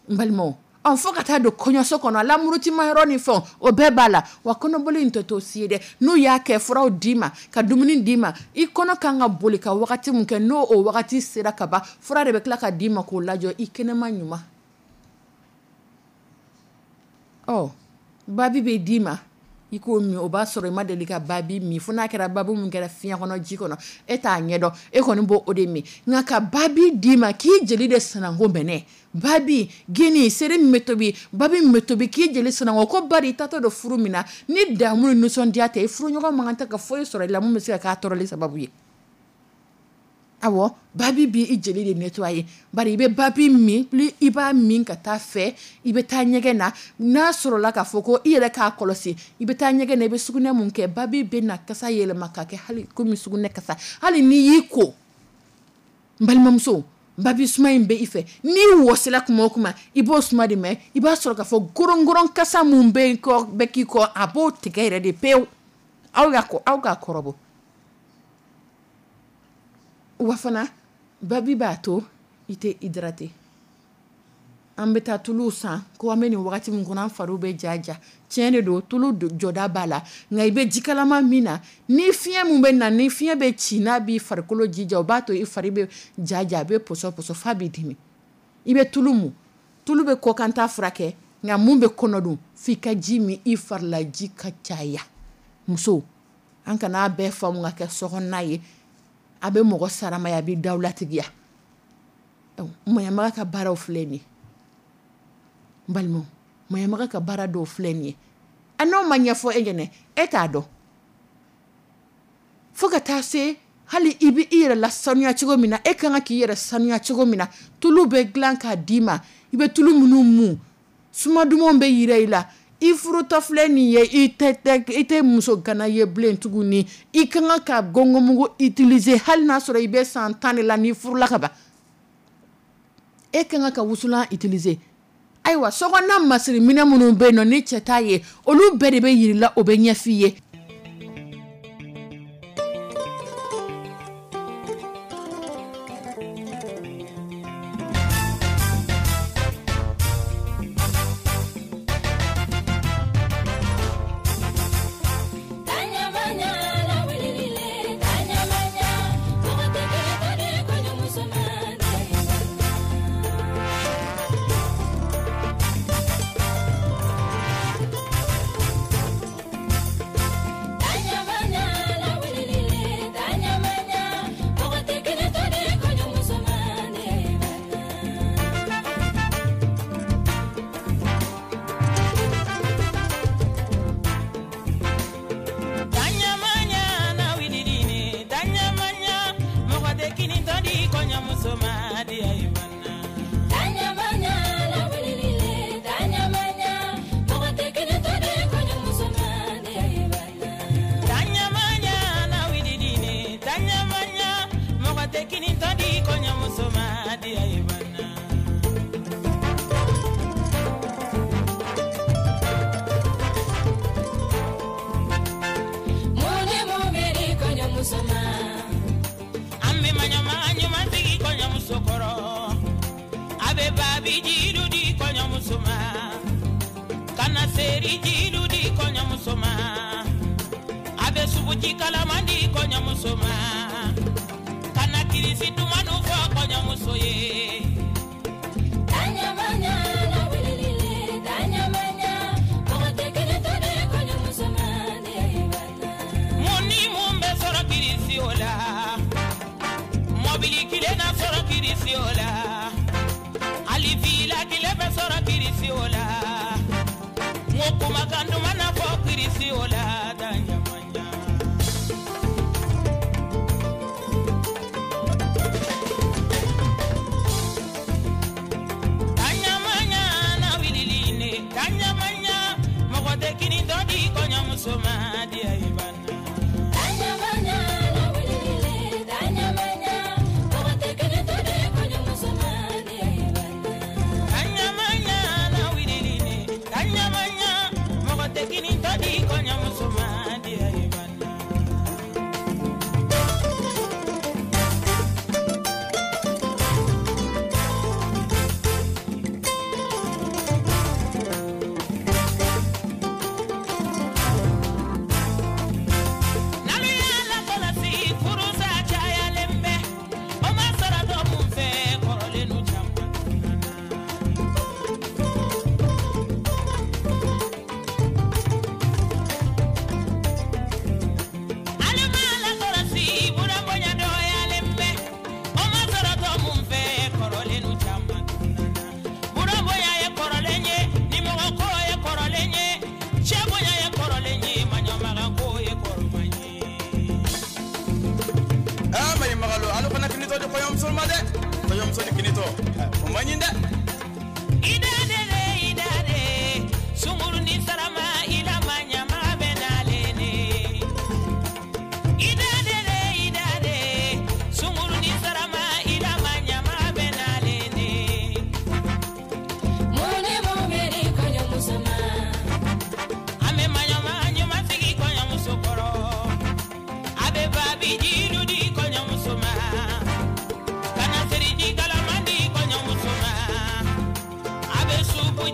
n balimaw. Ɔ, fo ka taa don kɔɲɔso kɔnɔ, lamurutima yɔrɔ ni fɛnw, o bɛɛ b'a la. Wa kɔnɔboli in tɛ to si ye dɛ. N'u y'a kɛ furaw d'i ma, ka dumuni d'i ma, i kɔnɔ kan ka boli ka wagati min kɛ, n'o o wagati sera ka ban, fura de bɛ tila ka d'i ma k'o lajɔ i kɛnɛma ɲuman. Ɔ, babi bɛ d'i ma, i k'o min, o b'a sɔrɔ i ma deli ka babi min, fo n'a kɛra babi min kɛra fiɲɛ kɔnɔ, ji kɔnɔ, e t'a ɲɛdɔn, e kɔni b'o o de min. Nka ka babi d'i ma k'i jeli de sananko mɛnɛ, babi gini seri min bɛ tobi, babi min bɛ tobi k'i jeli sananko, ko bari i taatɔ don furu min na, ni damu ni nisɔndiya tɛ, i furuɲɔgɔn man kan tɛ ka foyi sɔrɔ i la mun bɛ se ka k'a tɔɔrɔli sababu ye. Awɔ, babi b'i jeli de nettoyer, bari i bɛ babi min, plus i b'a min ka taa fɛ, i bɛ taa ɲɛgɛn na. N'a sɔrɔla k'a fɔ ko i yɛrɛ k'a kɔlɔsi, i bɛ taa ɲɛgɛn na, i bɛ sugunɛ mun kɛ, babi bɛ na kasa yɛlɛma ka kɛ hali komi sugunɛ kasa. Hali n'i y'i ko, n balimamuso, babi suma in bɛ i fɛ. N'i wɔsila kuma o kuma, i b'o suma de mɛn. I b'a sɔrɔ k'a fɔ gorongoron kasa mun bɛ kɔ, bɛ k'i kɔ, a b'o tigɛ yɛrɛ de pewu. Aw y'a kɔ, aw k'a kɔrɔbɔ. Wa fana babi b'a to i tɛ hydraté. An bɛ taa tulu san ko an bɛ nin wagati min kɔnɔ, an fariw bɛ ja ja. Tiɲɛ de don, tulu jɔda b'a la, nka i bɛ jikalama min na, ni fiɲɛ mun bɛ na, ni fiɲɛ bɛ ci, n'a b'i farikolo jija, o b'a to i fari bɛ ja ja, a bɛ pɔsɔ pɔsɔ f'a b'i dimi. I bɛ tulu mun, tulu bɛ kɔkanta furakɛ, nka mun bɛ kɔnɔ dun, f'i ka ji min, i farilaji ka caya. Muso, an kana bɛɛ faamu ka kɛ sokɔnɔna ye. A bɛ mɔgɔ saramaya, a bɛ dawulatigiya. Maɲamaga ka baaraw filɛ nin ye. N balimaw, maɲamaga ka baara dɔw filɛ nin ye. A n'o ma ɲɛfɔ e ɲɛnɛ, e t'a dɔn. Fo ka taa se hali i bɛ i yɛrɛ lasanuya cogo min na, e kan ka k'i yɛrɛ sanuya cogo min na, tulu bɛ dilan k'a d'i ma, i bɛ tulu minnu mun, suma dumanw bɛ yira i la. I furutɔ filɛ nin ye, i tɛ i tɛ muso gana ye bilen tuguni. I kan ka gɔngɔnmugu utiliser hali n'a sɔrɔ i bɛ san tan de la n'i furula ka ban. E kan ka wusulan utiliser. Ayiwa, sokɔnɔna masiri minɛn minnu bɛ yen nɔ ni cɛ t'a ye, olu bɛɛ de bɛ yir'i la, o bɛ ɲɛf'i ye.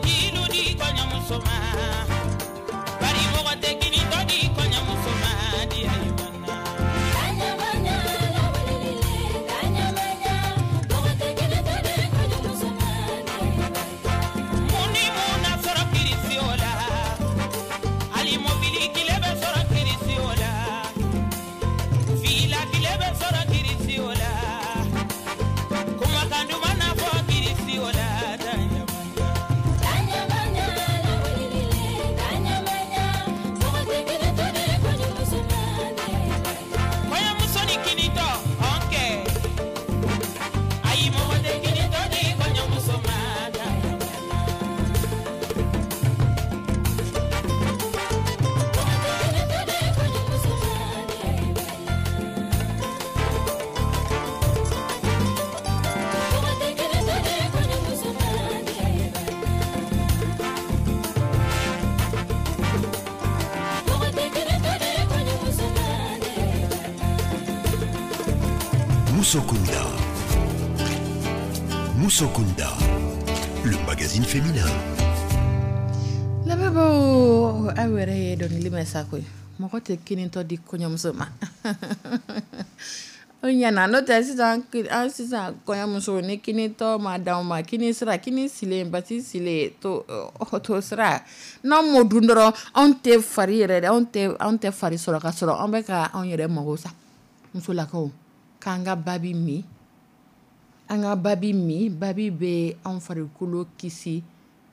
Jilu di kɔɲɔmuso ma, bari mɔgɔ tɛ kinitɔ di kɔɲɔmuso ma di ayiwa. Mun ni mun na sɔrɔ kirisi o la, hali mobili kile bɛ sɔrɔ kirisi o la, fila kile bɛ sɔrɔ kirisi o la, kumakan duman na fɔ kirisi o la. Kɔɲɔmuso ni kinitɔ ɔn kɛ, ayi, mɔgɔ tɛ kinitɔ di kɔɲɔmuso ma. Moussokunda. Moussokunda, le magazine féminin. Lamɛnbaaw, aw yɛrɛ ye dɔnkili mɛn sa koyi. Mɔgɔ tɛ kinitɔ di kɔɲɔmuso ma, o ɲɛna. N'o tɛ sisan, an sisan kɔɲɔmuso ni kinitɔ ma d'anw ma, kini sira, kini silen, basi silen to to sira, n'anw m'o dun dɔrɔn, anw tɛ fari yɛrɛ dɛ, anw tɛ anw tɛ fari sɔrɔ ka sɔrɔ an bɛ ka anw yɛrɛ mago sa. Musolakaw, k'an ka babi min, an ka babi min. Babi bɛ anw farikolo kisi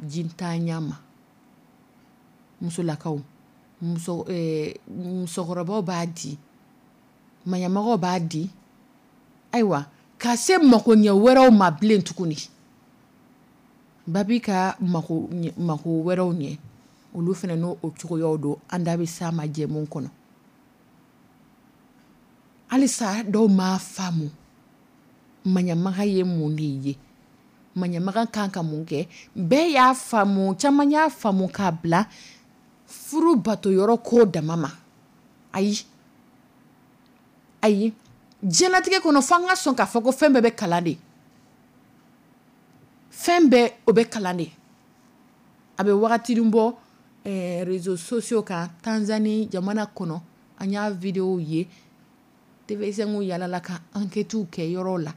jintanya ma. Musolakaw, muso musokɔrɔbaw b'a di, maɲamɔgɔw b'a di, ayiwa, ka se makoɲɛ wɛrɛw ma bilen tuguni. Babi ka mako mako wɛrɛw ɲɛ, olu fana n'o o cogoyaw don. An da bɛ s'a ma jɛmu kɔnɔ. Halisa dɔw m'a faamu maɲamaga ye mun de ye, maɲamaga kan ka mun kɛ. Bɛɛ y'a faamu, caman y'a faamu k'a bila furu bato yɔrɔ ko dama ma. Ayi, ayi, diɲɛlatigɛ kɔnɔ, fo an ka sɔn k'a fɔ ko fɛn bɛɛ bɛ kalan de, fɛn bɛɛ o bɛ kalan de. A bɛ wagatinin bɔ, eh, réseaux sociaux kan, Tanzanie jamana kɔnɔ, an y'a vidéo ye. T V cinq yalala ka enquêtes kɛ yɔrɔ la,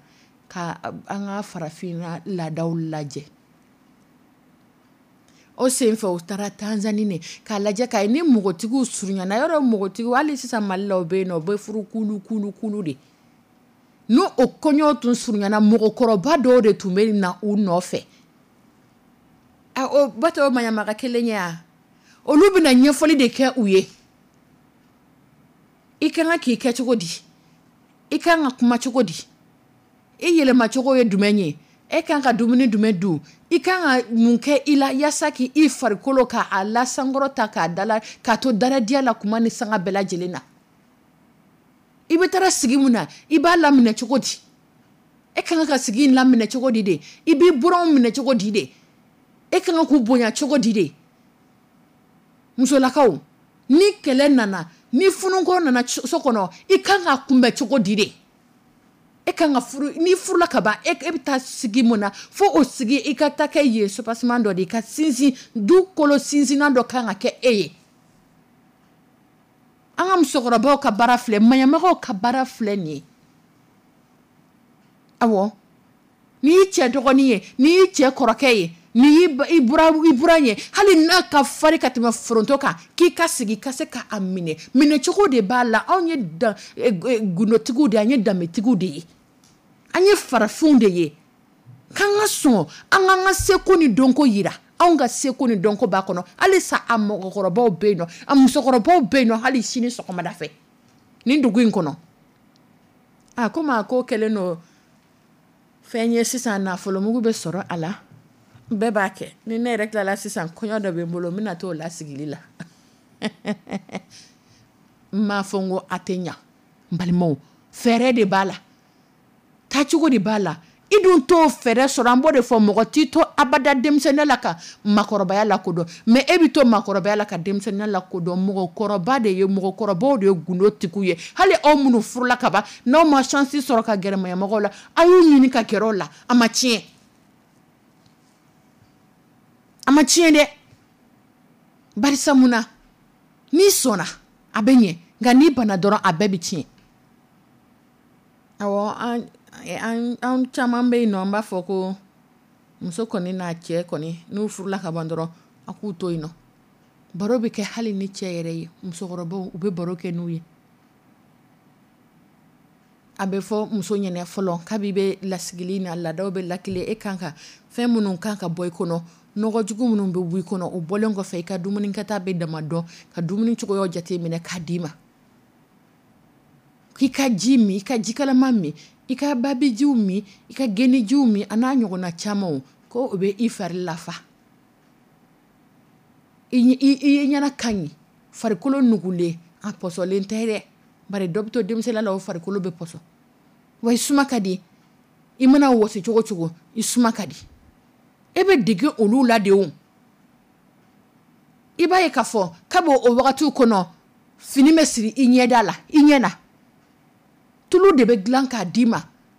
ka an ka farafinna laadaw lajɛ. O senfɛ, u taara Tanzanie ne k'a lajɛ k'a ye ni npogotigiw surunyana yɔrɔ. Npogotigiw, hali sisan Mali la, o bɛ yen nɔ, u bɛ furu kulu kulu kulu de. N'o o kɔɲɔ tun surunyana, mɔgɔkɔrɔba dɔw de tun bɛ na u nɔfɛ. A o bato maɲamaga kelen ye a, olu bɛna ɲɛfɔli de kɛ u ye. I ka kan k'i kɛ cogo di, i ka kan ka kuma cogo di, i yɛlɛmacogo ye jumɛn ye, e kan ka dumuni jumɛn dun, i kan ka mun kɛ i la yaasa k'i farikolo k'a lasankɔrɔ ta k'a dala k'a to daradiya la kuma ni sanga bɛɛ lajɛlen na. I bɛ taara sigi mun na, i b'a laminɛ cogo di, e ka kan ka sigi in laminɛ cogo di de, i b'i buranw minɛ cogo di de, e ka kan k'u bonya cogo di de. Musolakaw, ni kɛlɛ nana, ni funuko nana so kɔnɔ, i kan ka kunbɛn cogo di de. E kan ka furu, n'i furula ka ban, e bɛ taa sigi mun na, fo o sigi i ka taa kɛ yen soubassement dɔ de, i ka sinsin du kolo sinsinnan dɔ kan ka kɛ e ye. An ka musokɔrɔbaw ka baara filɛ, maɲamagaw ka baara filɛ nin ye. Awɔ, n'i y'i cɛ dɔgɔnin ye, n'i y'i cɛ kɔrɔkɛ ye, n'i y'i buran ye, hali n'a ka fari ka tɛmɛ foronto kan, k'i ka sigi ka se k'a minɛ, minɛcogo de b'a la. Anw ye gundotigiw de ye, an ye danbetigiw de ye, an ye farafinw de ye. K'an ka sɔn an k'an ka seko ni dɔnko yira. Anw ka seko ni dɔnko b'a kɔnɔ. Halisa a mɔgɔkɔrɔbaw bɛ yen nɔ, a musokɔrɔbaw bɛ yen nɔ, hali sini sɔgɔmada fɛ nin dugu in kɔnɔ. A komi a ko kɛlen don fɛn ye sisan, nafolomugu bɛ sɔrɔ a la, bɛɛ b'a kɛ. Ni ne yɛrɛ tilala sisan, kɔɲɔ dɔ bɛ n bolo, n bɛna t'o lasigili la. N m'a fɔ n ko a tɛ ɲa, n balimaw, fɛɛrɛ de b'a la, taacogo de b'a la. I dun t'o fɛɛrɛ sɔrɔ. An b'o de fɔ, mɔgɔ t'i to abada denmisɛnninya la ka makɔrɔbaya lakodɔn, mais e bɛ to makɔrɔbaya la ka denmisɛnninya lakodɔn. Mɔgɔkɔrɔba de ye, mɔgɔkɔrɔbaw de ye gundotigiw ye. Hali aw minnu furula ka ban, n'aw ma chance sɔrɔ ka gɛrɛ maɲamɔgɔw la, a y'u ɲini ka gɛrɛ o la, a ma tiɲɛ. A ma tiɲɛ dɛ, barisa mun na? N'i sɔnna, a bɛ ɲɛ, nka n'i banna dɔrɔn, a bɛɛ bɛ tiɲɛ. Awɔ, an an an caman bɛ yen nɔ, an b'a fɔ ko muso kɔni n'a cɛ kɔni, n'u furula ka ban dɔrɔn, a k'u to yen nɔ. Baro bɛ kɛ hali ni cɛ yɛrɛ ye, musokɔrɔbaw, u bɛ baro kɛ n'u ye. A bɛ fɔ muso ɲɛna fɔlɔ, kabi bɛ lasigili na, laadaw bɛ lakile, e kan ka fɛn minnu kan ka bɔ i kɔnɔ, nɔgɔjugu minnu bɛ bɔ i kɔnɔ, o bɔlen kɔfɛ, i ka dumuni kɛta bɛ dama dɔn, ka dumuni cogoyaw jate minɛ k'a d'i ma, k'i ka ji min, i ka jikalaman min, i ka babijiw min, i ka genijiw min, a n'a ɲɔgɔnna camanw, ko o bɛ i fari lafa, i i ɲɛna ka ɲi, farikolo nugulen, a pɔsɔlen tɛ dɛ. Bari dɔ bɛ to denmisɛnninya la, o farikolo bɛ pɔsɔn wa. I suma ka di, i mana wɔsi cogo cogo, i suma ka di. E bɛ dege olu la de. O i b'a ye k'a fɔ kabi o wagatiw kɔnɔ, fini bɛ siri i ɲɛda la, i ɲɛ na, tulu de bɛ dilan k'a d'i ma,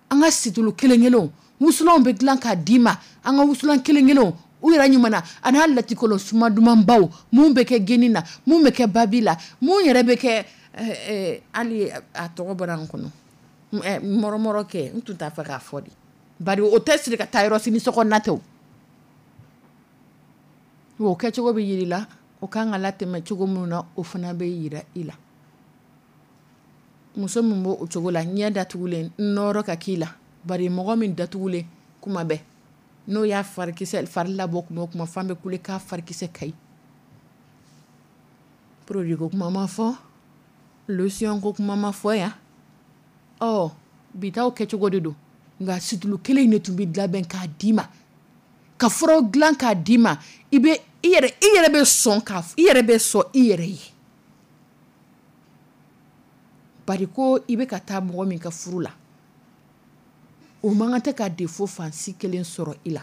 an ka situlu kelen kelenw, wusulanw bɛ dilan k'a d'i ma, an ka wusulan kelen kelenw, u yɛrɛ ɲuman na, a n'a latikɔlɔ suma dumanbaw, mun bɛ kɛ geni na, mun bɛ kɛ babi la, mun yɛrɛ bɛ kɛ, hali a tɔgɔ bɔra n kɔnɔ, mɔrɔmɔrɔ kɛ, n tun t'a fɛ k'a fɔ de, bari o tɛ siri ka taa yɔrɔ si ni sokɔnɔna tɛ. O o kɛcogo bɛ yiri la, o kan ka latɛmɛ cogo min na, o fana bɛ yira i la. Muso min b'o o cogo la, ɲɛ datugulen, nɔrɔ ka k'i la, bari mɔgɔ min datugulen kuma bɛɛ, n'o y'a farikisɛ fari labɔ kuma o kuma, fan bɛ kule k'a farikisɛ ka ɲi. Produit ko kuma ma fɔ, lotion ko kuma ma fɔ yan. Ɔ bi taw kɛcogo de don, nka situlu kelen in de tun bɛ labɛn k'a d'i ma, ka furaw dilan k'a d'i ma, i bɛ i yɛrɛ i yɛrɛ bɛ sɔn ka i yɛrɛ bɛ sɔn i yɛrɛ ye. Bari ko i bɛ ka taa mɔgɔ min ka furu la, o man kan tɛ ka défaut fansi kelen sɔrɔ i la.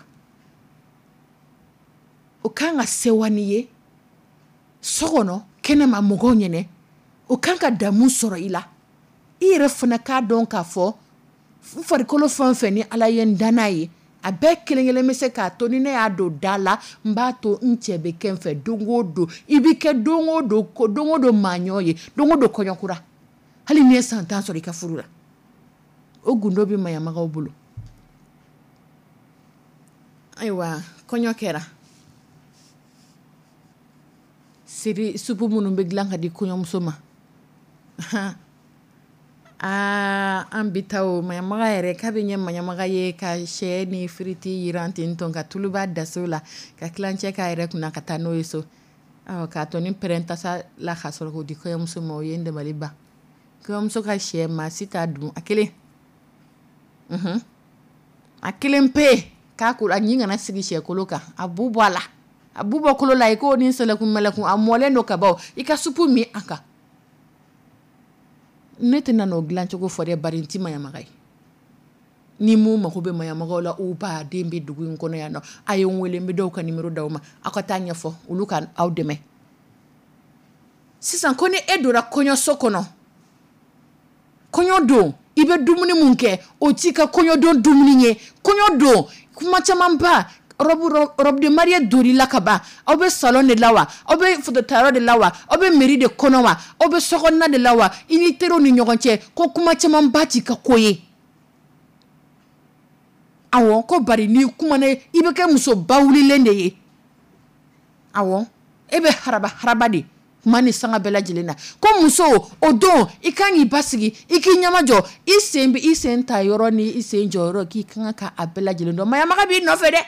O kan ka sewa n'i ye so kɔnɔ, kɛnɛma mɔgɔw ɲɛnɛ, o kan ka damu sɔrɔ i la. I yɛrɛ fana k'a dɔn k'a fɔ n farikolo fɛn fɛn ni Ala ye n dan n'a ye, a bɛɛ kelen kelen bɛ se k'a to ni ne y'a don da la, n b'a to n cɛ bɛ kɛ n fɛ don o don. I bɛ kɛ don o don, don o don maaɲɔ ye, don o don kɔɲɔkura, hali n'i ye san tan sɔrɔ i ka furu la. O gundo bɛ maɲamagaw bolo. Ayiwa, kɔɲɔ kɛra, siri supu minnu bɛ dilan ka di kɔɲɔmuso ma, aa, an bi taa o maɲamaga yɛrɛ k'a bɛ ɲɛ maɲamaga ye ka sɛ ni firiti yiran ten tɔn, ka tuluba daso la, ka tilancɛ k'a yɛrɛ kunna ka taa n'o ye so, k'a tɔ ni pɛrɛn tasa la, ka sɔrɔ k'o di kɔɲɔmuso ma. O ye n dabali ban. Kɔɲɔmuso ka sɛ, maa si t'a dun a kelen, a kelen pe k'a ko a ɲin kana sigi sɛkolo kan, a bu bɔ a la, a bu bɔ kolo la, i k'o ni sɛlɛkun mɛlɛkun, a mɔlen don ka ban, i ka supu min a kan. Ne tɛna n'o dilancogo fɔ dɛ, bari n ti maɲamaga ye. Ni mun mago bɛ maɲamagaw la, u ba den bɛ dugu in kɔnɔ yan nɔ, a ye n wele, n bɛ dɔw ka numéro d'aw ma, aw ka taa ɲɛfɔ olu ka aw dɛmɛ. Sisan ko ni e donna kɔɲɔso kɔnɔ, kɔɲɔ don, i bɛ dumuni mun kɛ, o t'i ka kɔɲɔdon dumuni ye. Kɔɲɔ don, kuma camanba, robe robe de mariée donn'i la ka ban, aw bɛ salon de la wa, aw bɛ photo tayɔrɔ de la wa, aw bɛ mairie de kɔnɔ wa, aw bɛ sokɔnɔna de la wa, i ni teriw ni ɲɔgɔn cɛ, ko kuma camanba t'i ka ko ye. Awɔ, ko bari n'i kumana, i bɛ kɛ muso bawulilen de ye. Awɔ, e bɛ haraba haraba de kuma ni sanga bɛɛ lajɛlen na. Ko muso, o don i kan k'i basigi, i k'i ɲɛmajɔ, i sen bɛ i sen ta yɔrɔ ni i sen jɔ yɔrɔ, k'i kan ka a bɛɛ lajɛlen dɔn. Maɲamaga b'i nɔfɛ dɛ.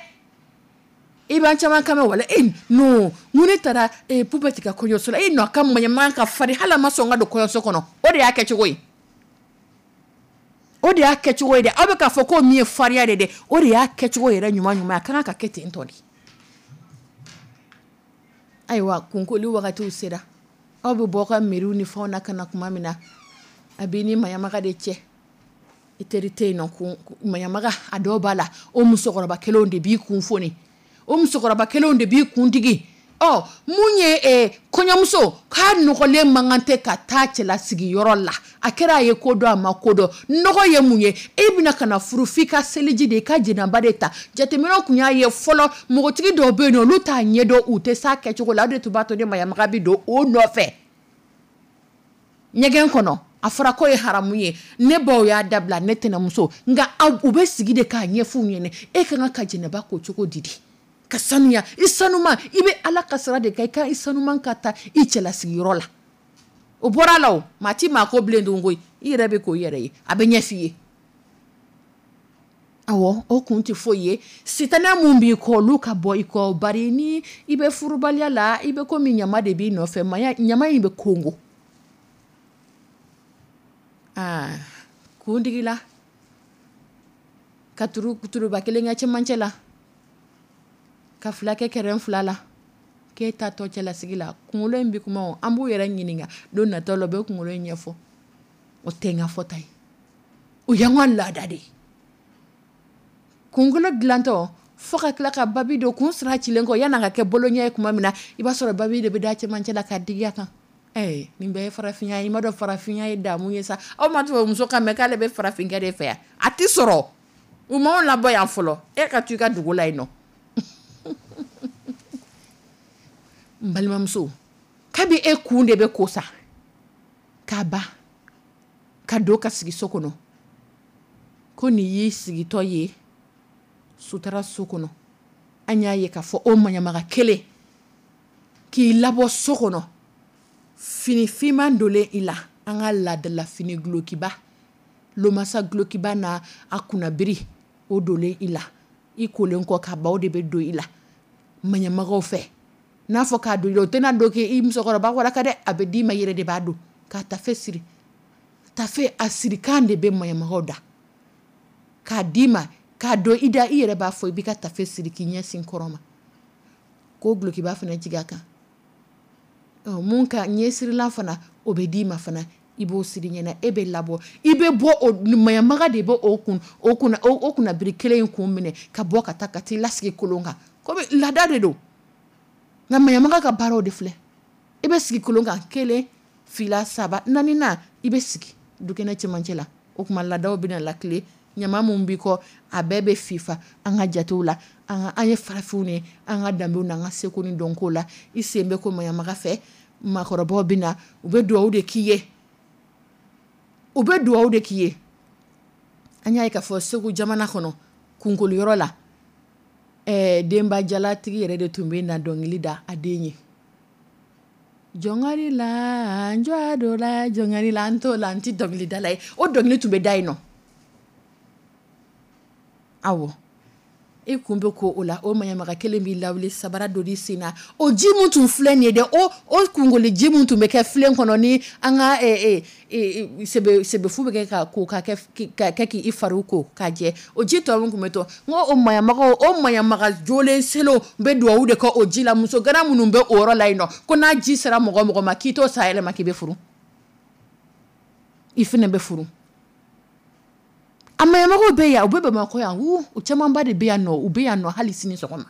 I b'an caman kan mɛn wala e non, mun ne taara Pupɛti ka kɔɲɔso la, e nɔ ka maɲamaga ka farin, hali a ma sɔn ka don kɔɲɔso kɔnɔ. O de y'a kɛcogo ye, o de y'a kɛcogo ye dɛ. Aw bɛ k'a fɔ ko min ye farinya de dɛ, o de y'a kɛcogo yɛrɛ ɲuman ɲuman, a kan ka kɛ ten tɔ de. Ayiwa, kunkoli wagatiw sera, aw bɛ bɔ ka miiriw ni fɛnw na ka na tuma min na, a b'i ni maɲamaga de cɛ, i teri tɛ yen nɔ. Maɲamaga, a dɔw b'a la, o musokɔrɔba kelenw de b'i kun foni, o musokɔrɔba kelenw de b'i kun digi. Ɔ mun ye kɔɲɔmuso k'a nɔgɔlen man kan tɛ ka taa cɛlasigiyɔrɔ la, A kɛra a ye ko dɔn, a ma ko dɔn, nɔgɔ ye mun ye? E bɛna ka na furu, f'i ka seliji de, i ka jɛnɛba de ta. Jateminɛw tun y'a ye fɔlɔ, npogotigi dɔw bɛ yen nɔ, olu t'a ɲɛdɔn, u tɛ s'a kɛcogo la. O de tun b'a to ni maɲamaga bɛ don o nɔfɛ ɲɛgɛn kɔnɔ. A fɔra k'o ye haramu ye, ne baw y'a dabila, ne tɛnɛmuso. Nka u bɛ sigi de k'a ɲɛf'u ɲɛna: e ka kan ka jɛnɛba ko cogo di di ka sanuya, i sanuma, i bɛ Ala ka sira de kan, i ka i sanuman ka taa i cɛlasigiyɔrɔ la. O bɔra la, o maa ti maa ko bilen dun koyi, i yɛrɛ bɛ k'o yɛrɛ ye, a bɛ ɲɛf'i ye. Awɔ, o kun tɛ foyi ye, sitanɛ mun b'i kɔ, olu ka bɔ i kɔ. Bari ni i bɛ furubaliya la, i bɛ komi ɲama de b'i nɔfɛ, ɲama in bɛ kongo. Aa, kuntigi la ka turu turuba kelen kɛ cɛmancɛ la, ka fila kɛ kɛrɛn fila la, k'e ta tɔ cɛlasigi la, kunkolo in bɛ kuma. An b'u yɛrɛ ɲininka don natɔ la, u bɛ kunkolo in ɲɛfɔ. O tɛ n ka fɔta ye, o y'an ka laada de ye. Kunkolo dilantɔ fo ka tila ka babi don kun sira cilen kɔ, yan'a ka kɛ boloɲɛ ye tuma min na, i b'a sɔrɔ babi de bɛ da cɛmancɛ la ka digi a kan. Ɛɛ, nin bɛɛ ye farafinya ye. I ma dɔn farafinya ye damu ye sa. Aw ma tubabu kan mɛn k'ale bɛ farafinkɛ de fɛ yan? A tɛ sɔrɔ, u m'anw labɔ yan fɔlɔ. E ka to i ka dugu la yen nɔ. N balimamuso, kabi e kun de bɛ ko sa k'a ban ka don ka sigi so kɔnɔ, ko nin y'i sigitɔ ye sutura so kɔnɔ. An y'a ye k'a fɔ o maɲamaga kelen k'i labɔ so kɔnɔ, fini finman donlen i la, an ka laadala fini dulokiba, lomasa dulokiba n'a a kunnabiri, o donlen i la, i kolen kɔ ka ban, o de bɛ don i la maɲamagaw fɛ. N'a fɔ k'a don i la, o tɛna don k'i musokɔrɔba waraka dɛ, a bɛ d'i ma, i yɛrɛ de b'a don k'a tafe siri. Tafe a sirikan de bɛ maɲamagaw da k'a d'i ma k'a don i da, i yɛrɛ b'a fɔ, i b'i ka tafe siri k'i ɲɛsin kɔrɔn ma, k'o dulokiba fana jigin a kan. Mun ka ɲɛsirilan fana, o bɛ d'i ma fana, i b'o siri ɲɛna, e bɛ labɔ, i bɛ bɔ, o maɲamaga de bɛ o kun o kunna o kunnabiri kelen in kun minɛ ka bɔ ka taa ka t'i lasigi kolon kan, komi laada de don. Nka maɲamaga ka baaraw de filɛ: i bɛ sigi kolon kan, kelen, fila, saba, naani na, i bɛ sigi dukɛnɛ cɛmancɛ la. O tuma laadaw bɛna lakile, ɲama mun b'i kɔ, a bɛɛ bɛ fifa. An ka jatew la, an an ye farafinw ye, an ka danbew n'an ka seko ni dɔnko la, i sen bɛ ko maɲamaga fɛ, maakɔrɔbaw bɛ na, u bɛ dugawu de k'i ye, u bɛ dugawu de k'i ye. An y'a ye k'a fɔ Segu jamana kɔnɔ, kunkoliyɔrɔ la, ɛɛ denba jalatigi yɛrɛ de tun bɛ na dɔnkili da a den ye: jɔnkari la, n jɔ dɔ la, jɔnkari la. An t'o la, an tɛ dɔnkilidala ye, o dɔnkili tun bɛ da yen nɔ. Awɔ, e kun bɛ ko o la, o maɲamaga kelen b'i lawuli, sabara don i sen na. O ji mun tun filɛ nin ye dɛ, o o kunkolo ji mun tun bɛ kɛ filen kɔnɔ, ni an ka sebe sebefu bɛ kɛ ka ko ka kɛ ka kɛ k'i fariw ko k'a jɛ, o ji tɔ min tun bɛ to, n ko o maɲamagaw, o maɲamaga jolen selenw bɛ duwawu de kɛ o ji la. Muso gana minnu bɛ o yɔrɔ la yen nɔ, ko n'a ji sera mɔgɔ mɔgɔ ma, k'i t'o sa yɛlɛma k'i bɛ furu, i fana bɛ furu. A maɲamagaw bɛ yan, u bɛ Bamakɔ yan, u camanba de bɛ yan nɔ, u bɛ yan nɔ hali sini sɔgɔma.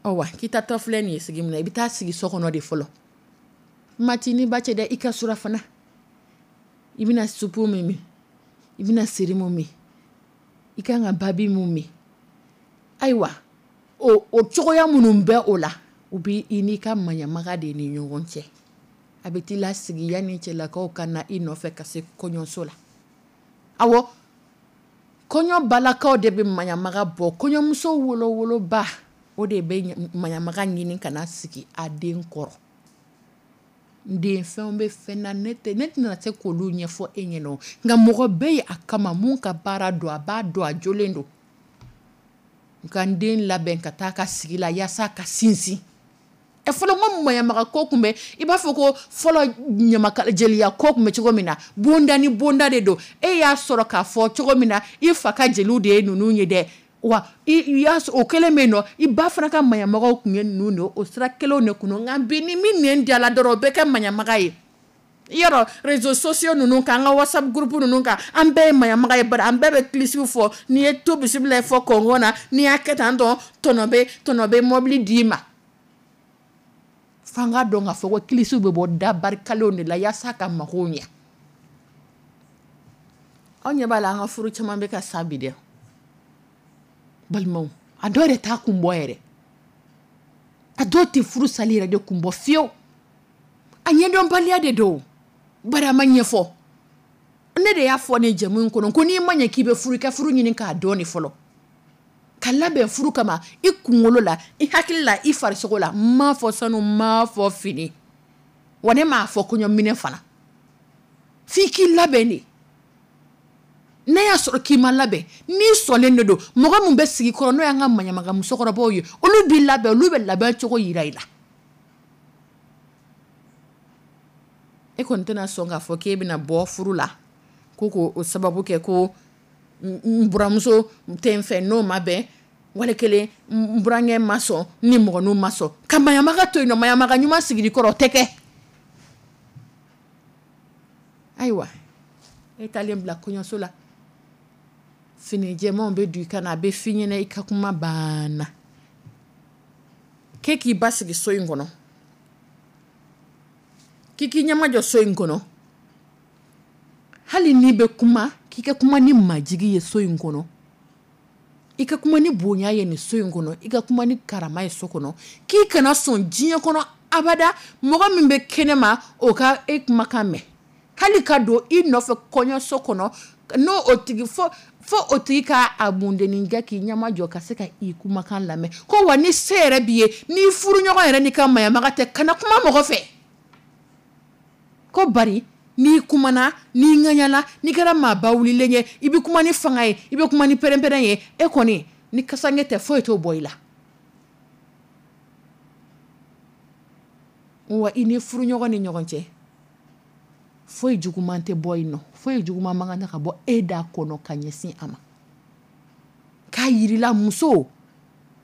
Ɔ wa, k'i taatɔ filɛ nin ye sigi min na, i bɛ taa sigi so kɔnɔ de fɔlɔ. Mati ni ba cɛ dɛ, i ka surafana, i bɛna supu min min, i bɛna seri mun min, i kan ka babi mun min. Ayiwa, o o cogoya minnu bɛ o la, u bɛ i n'i ka maɲamaga de ni ɲɔgɔn cɛ. A bɛ t'i lasigi yanni cɛlakaw ka na i nɔfɛ ka se kɔɲɔso la. Awɔ, kɔɲɔ balakaw de bɛ maɲamaga bɔ, kɔɲɔmuso wolowoloba, o de bɛ maɲamaga ɲini ka na sigi a den kɔrɔ. N den, fɛnw bɛ fɛn na, ne tɛ ne tɛna se k'olu ɲɛfɔ e ɲɛna, nka mɔgɔ bɛ yen a kama mun ka baara don, a b'a dɔn, a jolen don. Nka n den labɛn ka taa ka sigi la yaasa ka sinsin. Ɛ, fɔlɔ ko maɲamaga ko tun bɛ, i b'a fɔ ko fɔlɔ ɲamakala jeliya ko tun bɛ cogo min na, bonda ni bonda de don. E y'a sɔrɔ k'a fɔ cogo min na, i fa ka jeliw de ye ninnu ye dɛ. Wa i y'a o kelen bɛ yen nɔ, i ba fana ka maɲamagaw tun ye ninnu de, o sira kelenw de kun. Nka bi, ni min nɛn diyala dɔrɔn, o bɛ kɛ maɲamaga ye. I y'a dɔn, réseaux sociaux ninnu kan, an ka WhatsApp groupe ninnu kan, an bɛɛ ye maɲamaga ye, bari an bɛɛ bɛ kilisiw fɔ. N'i ye to bisimila fɔ kɔngɔ na, n'i y'a kɛ tan tɔ, tɔnɔ bɛ tɔnɔ bɛ mɔbili d'i ma. F'an k'a dɔn k'a fɔ ko kilisiw bɛ bɔ da barikalenw de la yaasa ka magow ɲɛ. Aw ɲɛ b'a la, an ka furu caman bɛ ka sa bi dɛ, balimaw. A dɔw yɛrɛ t'a kun bɔ yɛrɛ, a dɔw tɛ furu sali yɛrɛ de kun bɔ fiyewu. A ɲɛdɔnbaliya de don, bari a ma ɲɛfɔ. Ne de y'a fɔ ne jɛmu in kɔnɔ ko n'i ma ɲɛ k'i bɛ furu, i ka furu ɲini k'a dɔn de fɔlɔ, ka labɛn furu kama, i kunkolo la, i hakili la, i farisogo la. N m'a fɔ sanu, n m'a fɔ fini, wa ne m'a fɔ kɔɲɔminɛ fana. F'i k'i labɛn de. N'a y'a sɔrɔ k'i ma labɛn, n'i sɔnlen de don, mɔgɔ min bɛ sigi kɔrɔ, n'o y'an ka maɲamaga musokɔrɔbaw ye, olu b'i labɛn, olu bɛ labɛn cogo yira i la. E kɔni tɛna sɔn k'a fɔ k'e bɛna bɔ furu la ko k'o sababu kɛ ko n buramuso tɛ n fɛ, n'o ma bɛn, wali kelen n burankɛ ma sɔn, ni mɔgɔninw ma sɔn, ka maɲamaga to yen nɔ. Maɲamaga ɲuman sigili kɔrɔ, o tɛ kɛ. Ayiwa, e taalen bila kɔɲɔso la, fini jɛmanw bɛ don i kan na, a bɛ f'i ɲɛna, i ka kuma banna. K'e k'i ba sigi so in kɔnɔ, k'i k'i ɲɛmajɔ so in kɔnɔ, hali n'i bɛ kuma, k'i ka kuma ni majigi ye so in kɔnɔ, i ka kuma ni bonya ye nin so in kɔnɔ, i ka kuma ni karama ye so kɔnɔ, k'i kana sɔn diɲɛ kɔnɔ abada mɔgɔ min bɛ kɛnɛ ma, o ka e kumakan mɛn, hali ka don i nɔfɛ kɔɲɔso kɔnɔ, n'o o tigi fo fo o tigi ka a mundennin kɛ k'i ɲɛmajɔ ka se ka i kumakan lamɛn. Ko wa ni se yɛrɛ b'i ye, n'i furuɲɔgɔn yɛrɛ n'i ka maɲamaga tɛ, kana kuma mɔgɔ fɛ. Ko bari n'i kumana, n'i ŋaɲala, n'i kɛra maaba wulilen ye, i bɛ kuma ni fanga ye, i bɛ kuma ni pɛrɛnpɛrɛn ye, e kɔni ni kasange tɛ foyi t'o bɔ i la. Wa i ni furuɲɔgɔn ni ɲɔgɔn cɛ, foyi juguman tɛ bɔ yen nɔ, foyi juguman man kan ka bɔ e da kɔnɔ ka ɲɛsin a ma. K'a yirila muso,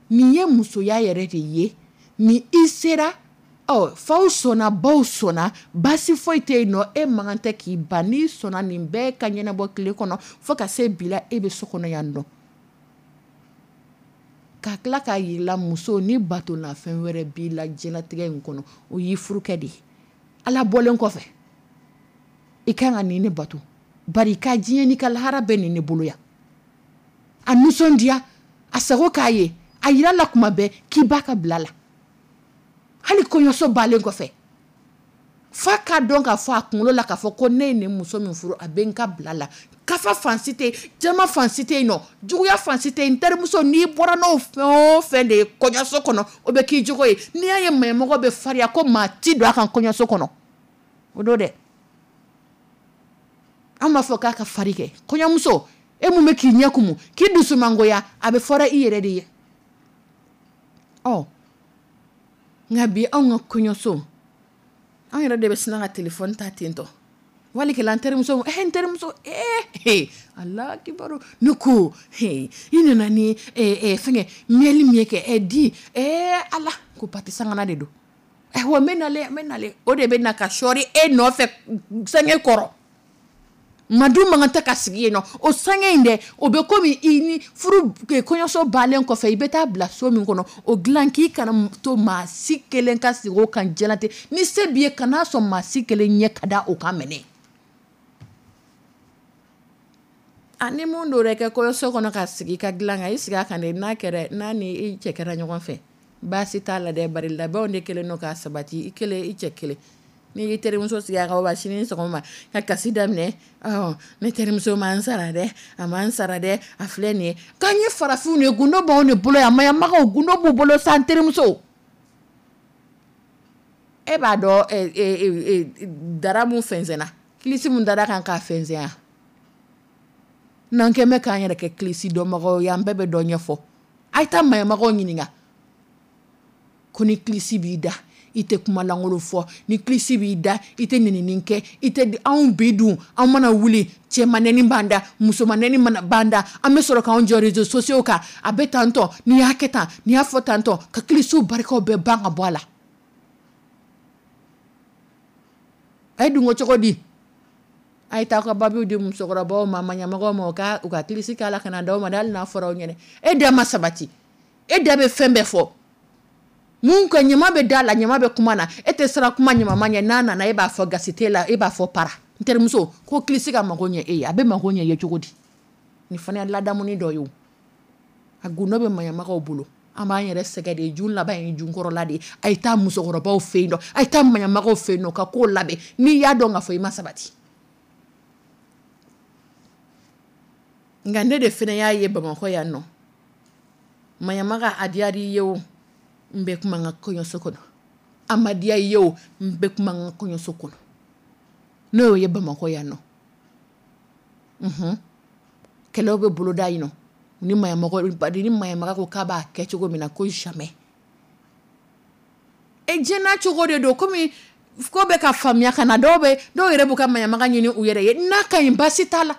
nin ye musoya yɛrɛ de ye, ni i sera, ɔ faw sɔnna, baw sɔnna, baasi foyi tɛ yen nɔ, e man kan tɛ k'i ban. N'i sɔnna nin bɛɛ ka ɲɛnabɔ tile kɔnɔ fo ka se bi la, e bɛ so kɔnɔ yan nɔ. Ka tila k'a yirila muso, ni batonafɛn wɛrɛ b'i la diɲɛlatigɛ in kɔnɔ, o y'i furukɛ de ye. Ala bɔlen kɔfɛ, i kan ka nin ne bato, bari i ka diɲɛ n'i ka lahara bɛɛ nin ne bolo yan. A nisɔndiya, a sago k'a ye, a yira la kuma bɛɛ k'i b'a ka bila la. Hali kɔɲɔso balen kɔfɛ, f'a k'a dɔn k'a fɔ a kunkolo la k'a fɔ ko ne ye nin muso min furu, a bɛ n ka bila la. Kafa fan si tɛ yen, jama fan si tɛ yen nɔ, juguya fan si tɛ yen. N terimuso, n'i bɔra n'o fɛn o fɛn de ye kɔɲɔso kɔnɔ, o bɛ k'i jogo ye. N'i y'a ye maɲɛmɔgɔ bɛ farinya ko maa ti don a kan kɔɲɔso kɔnɔ, o don dɛ. An b'a fɔ k'a ka fari kɛ. Kɔɲɔmuso, e mun bɛ k'i ɲɛ kumu, k'i dusu mangoya, a bɛ fɔra i yɛrɛ de ye. Ɔ nka bi anw ka kɔɲɔso, anw yɛrɛ de bɛ sina ka telefɔni ta ten tɔ. Wali kelen an terimuso, eh, n terimuso, eh, ala kibaru, ne ko, he, i nana ni, eh, eh, fɛngɛ, miel min ye kɛ, eh, di, eh, ala, ko pati sangana de don. Eh, wa n bɛ nalen, n bɛ nalen. O de bɛ na ka sɔɔri e nɔfɛ sange kɔrɔ. Madu man kan tɛ ka sigi yen nɔ. O sange in dɛ, o bɛ komi i ni furu kɔɲɔso balen kɔfɛ, i bɛ taa bila so min kɔnɔ, o dilan k'i kana to maa si kelen ka sigi o kan diɲɛlatigɛ. Ni se b'i ye, kan'a sɔn maa si kelen ɲɛ ka da o kan mɛnɛ. A ni mun dɔ kɛ kɔɲɔso kɔnɔ ka sigi i ka dilan kan, i sigi a kan dɛ, n'a kɛra, n'a ni i cɛ kɛra ɲɔgɔn fɛ, baasi t'a la dɛ, bari labɛnw de kɛlen don k'a sabati, i kelen, i cɛ kelen. N'i y'i terimuso sigi a kan, wa sini sɔgɔma ka kasi daminɛ, ɔ ne terimuso ma n sara dɛ, a ma n sara dɛ, a filɛ nin ye. K'an ye farafinw de ye, gundo b'anw de bolo yan, maɲamagaw gundo b'u bolo sa. N terimuso, e b'a dɔn dara mun fɛnsɛnna, kilisi mun dara kan k'a fɛnsɛn yan, n'an kɛn bɛ k'an yɛrɛ kɛ kilisi dɔnbagaw ye, an bɛɛ bɛ dɔ ɲɛfɔ. A ye taa maɲamagaw ɲininka ko ni kilisi b'i da, i tɛ kuma lankolon fɔ, ni kilisi b'i da, i tɛ nɛnini kɛ, i tɛ. Anw bi dun, anw mana wuli, cɛmanɛni b'an da, musomanɛni mana b'an da, an bɛ sɔrɔ k'anw jɔ réseaux sociaux kan, a bɛ tan tɔ, n'i y'a kɛ tan, n'i y'a fɔ tan tɔ, ka kilisiw barikaw bɛɛ ban ka bɔ a la. A ye dun ko cogo di? A ye taa ka babiw di musokɔrɔbaw ma, maɲamɔgɔw ma, u ka u ka kilisi k'a la ka na d'aw ma, hali n'a fɔra aw ɲɛna. E da ma sabati, e da bɛ fɛn bɛɛ fɔ. Mun ka ɲama bɛ da la, ɲama bɛ kuma na, e tɛ siran kuma ɲama ɲɛ. N'a nana, e b'a fɔ gasi t'e la, e b'a fɔ para n terimuso ko kilisi ka mago ɲɛ e ye. A bɛ mago ɲɛ ye cogo di? Nin fana ye ladamuni dɔ ye o. A gundo bɛ maɲamagaw bolo. An b'an yɛrɛ sɛgɛn de, jun laban ye junkɔrɔla de ye. A ye taa musokɔrɔbaw fɛ yen nɔ, a ye taa maɲamagaw fɛ yen nɔ ka kow labɛn. N'i y'a dɔn k'a fɔ i ma sabati. Nka ne de fana y'a ye Bamakɔ yan nɔ, maɲamaga a diyara i ye o, n bɛ kuma n ka kɔɲɔso kɔnɔ, a ma diya i ye o, n bɛ kuma n ka kɔɲɔso kɔnɔ. N'o y'o ye Bamakɔ yan nɔ, unhun, kɛlɛw bɛ boloda yen nɔ ni maɲamɔgɔ, ni maɲamaga ko k'a b'a kɛ cogo min na, ko jamais. E diɲɛ n'a cogo de don, komi ko bɛ ka faamuya ka na, dɔw bɛ dɔw yɛrɛ b'u ka maɲamaga ɲini u yɛrɛ ye. N'a ka ɲi, baasi t'a la,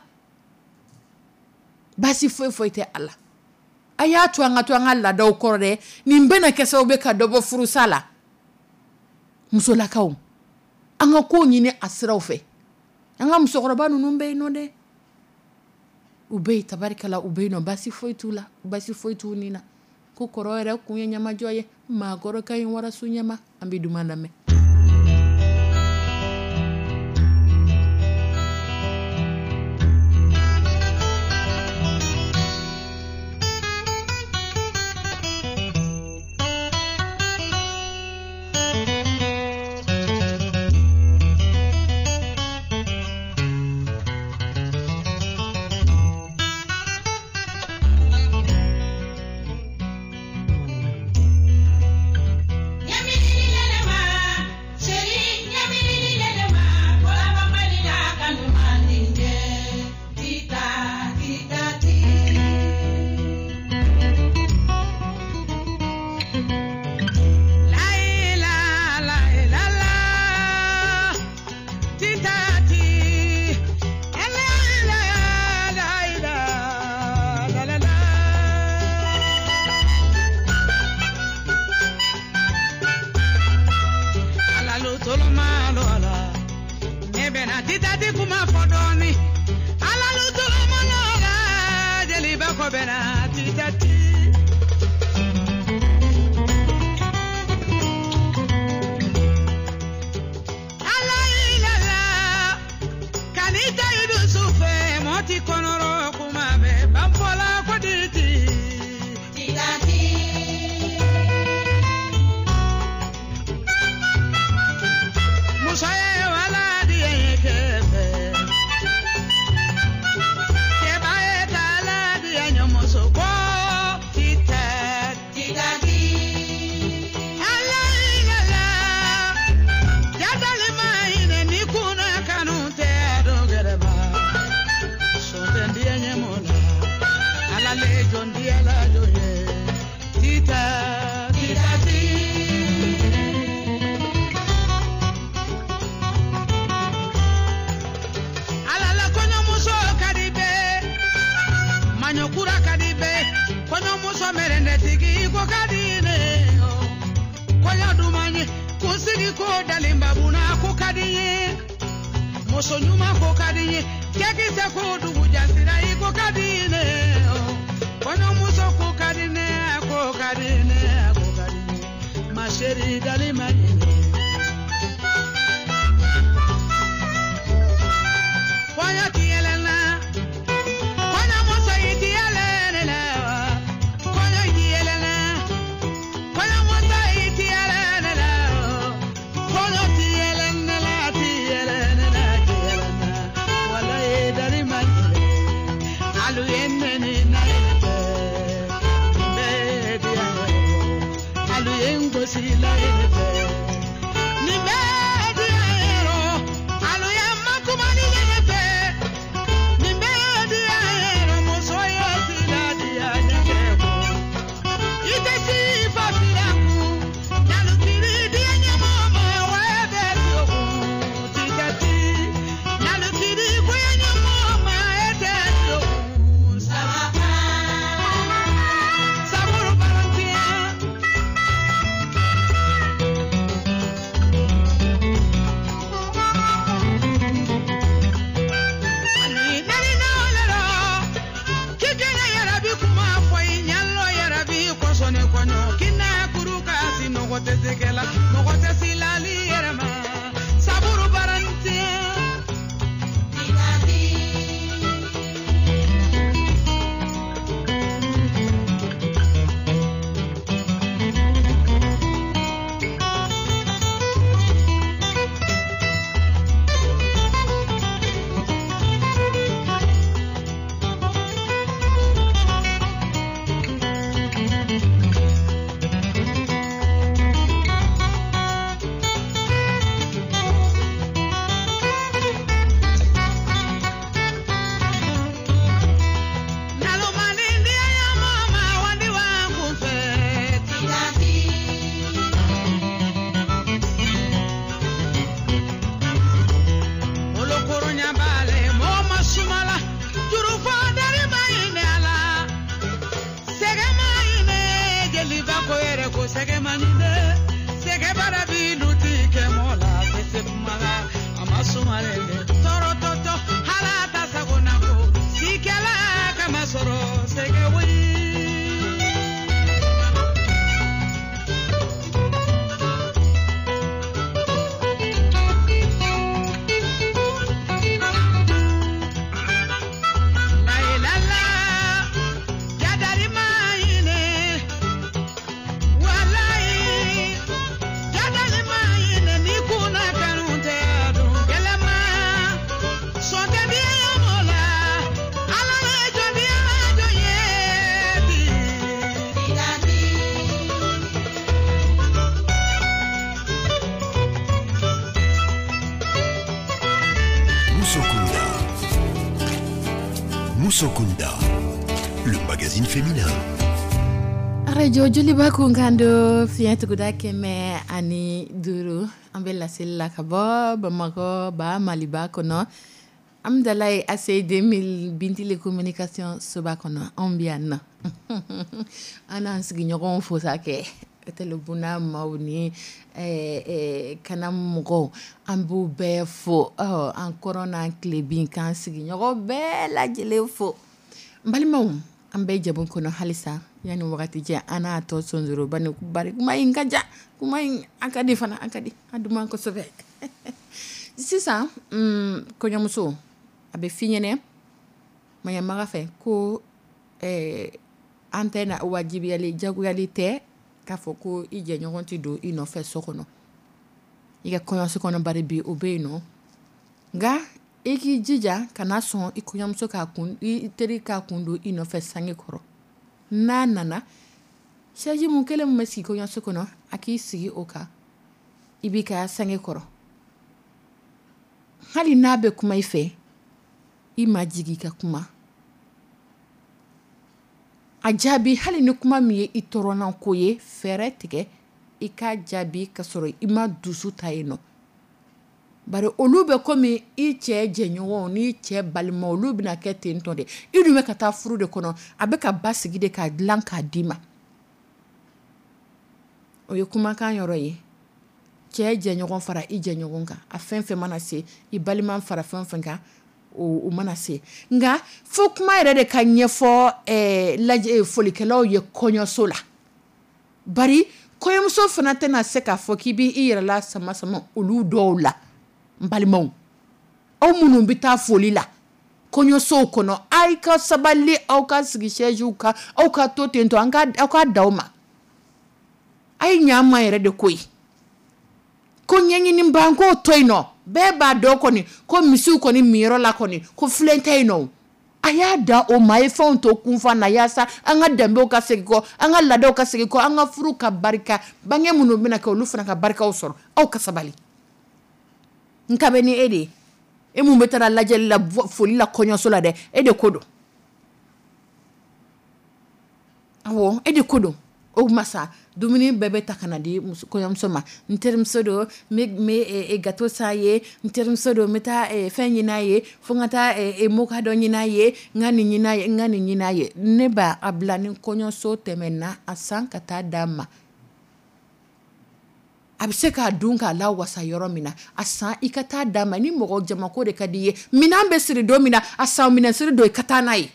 baasi foyi foyi tɛ a la. A y'a to an ka to an ka laadaw kɔrɔ dɛ. Nin bɛna kɛ sababu ye ka dɔ bɔ furusa la. Musolakaw, an ka kow ɲini a siraw fɛ. An ka musokɔrɔba ninnu bɛ yen nɔ dɛ, u bɛ yen, tabarikala, u bɛ yen nɔ, baasi foyi t'u la, baasi foyi t'u ni na. Ko kɔrɔ yɛrɛ kun ye ɲamajɔ ye, maakɔrɔ ka ɲi warasu ɲɛma. An bɛ duman lamɛn. Se kɛla mɔgɔ tɛ silali yɛrɛ ma saburu barantiɲɛ. Musokunda, le magazine féminin. Arajo Joliba kunkan don fiɲɛ tuguda kɛmɛ ani duuru. An bɛ laseli la ka bɔ Bamakɔ ba Maliba kɔnɔ. Amudalayi A C deux mille Bintili communication soba kɔnɔ, anw bɛ yan nɔ. An n'an sigiɲɔgɔnw fo sa kɛ Tɛlɛbuna maaw ni kana mɔgɔw, an b'u bɛɛ fo, an kɔrɔn n'an tilebin, k'an sigiɲɔgɔn bɛɛ lajɛlen fo. N balimaw, an bɛ jamu kɔnɔ halisa. Yanni wagati cɛ, an n'a tɔ sonsoroba ni bari kuma in ka ja, kuma in an ka di fana, an ka di an duman kosɛbɛ. Sisan kɔɲɔmuso a bɛ f'i ɲɛnɛ maɲamaga fɛ ko an tɛ na wajibiyali, jagoyali tɛ k'a fɔ ko i jɛɲɔgɔn tɛ don i nɔfɛ so kɔnɔ, i ka kɔɲɔso kɔnɔ. Bari bi o bɛ yen nɔ, nka i k'i jija kana sɔn i kɔɲɔmuso k'a kun, i teri k'a kun don i nɔfɛ sange kɔrɔ. N'a nana, chaise mun kelen min bɛ sigi kɔɲɔso kɔnɔ, a k'i sigi o kan, i b'i ka sange kɔrɔ. Hali n'a bɛ kuma i fɛ, i ma jigin i ka kuma a jaabi. Hali ni kuma min ye i tɔɔrɔna ko ye, fɛɛrɛ tigɛ i k'a jaabi ka sɔrɔ i ma dusu ta yen nɔ. Bari olu bɛ komi i cɛ jɛɲɔgɔnw n'i cɛ balima, olu bɛna kɛ ten tɔ de. I dun bɛ ka taa furu de kɔnɔ, a bɛ ka ba sigi de k'a dilan k'a d'i ma. O ye kumakan yɔrɔ ye. Cɛ jɛɲɔgɔn fara i jɛɲɔgɔn kan, a fɛn fɛn mana se, i balima fara fɛn fɛn kan, o mana se. Nka fo kuma yɛrɛ de ka ɲɛfɔ lajɛ folikɛlaw ye kɔɲɔso la. Bari kɔɲɔmuso fana tɛna se k'a fɔ k'i b'i yɛrɛ la sama sama olu dɔw la. N balimaw, aw minnu bɛ taa foli la kɔɲɔsow kɔnɔ, aw ka sabali, aw ka sigi chaise kan, aw ka to ten tɔ, an ka aw ka d'aw ma. A ye ɲɛ an ma yɛrɛ de koyi. Ko ɲɛɲini ban k'o to yen nɔ, bɛɛ b'a dɔn kɔni ko misiw kɔni minyɔrɔ la kɔni, ko filen tɛ yen nɔ. A y'a da o ma, a ye fɛnw to kunfa na, yaasa an ka danbew ka segin kɔ, an ka laadaw ka segin kɔ, an ka furu ka barika, bange minnu bɛna kɛ, olu fana ka barikaw sɔrɔ. Aw ka sabali. Nka bɛ ni e de ye, e mun bɛ taara lajɛli la, foli la kɔɲɔso la dɛ, e de ko don. Awɔ, e de ko don. O kuma sa, dumuni bɛɛ bɛ ta ka na di kɔɲɔmuso ma. N terimuso don, n bɛ gâteau san ye. N terimuso don, n bɛ taa fɛn ɲini a ye, fo n ka taa moka dɔ ɲini a ye, n ka nin ɲini a ye, n ka nin ɲini a ye. Ne b'a a bila ni kɔɲɔso tɛmɛna, a san ka taa d'a ma, a bɛ se k'a dun k'a la wasa yɔrɔ min na, a san i ka taa d'a ma. Ni mɔgɔ jamako de ka di i ye, minɛn bɛ siri don min na, a san minɛn siri don, i ka taa n'a ye.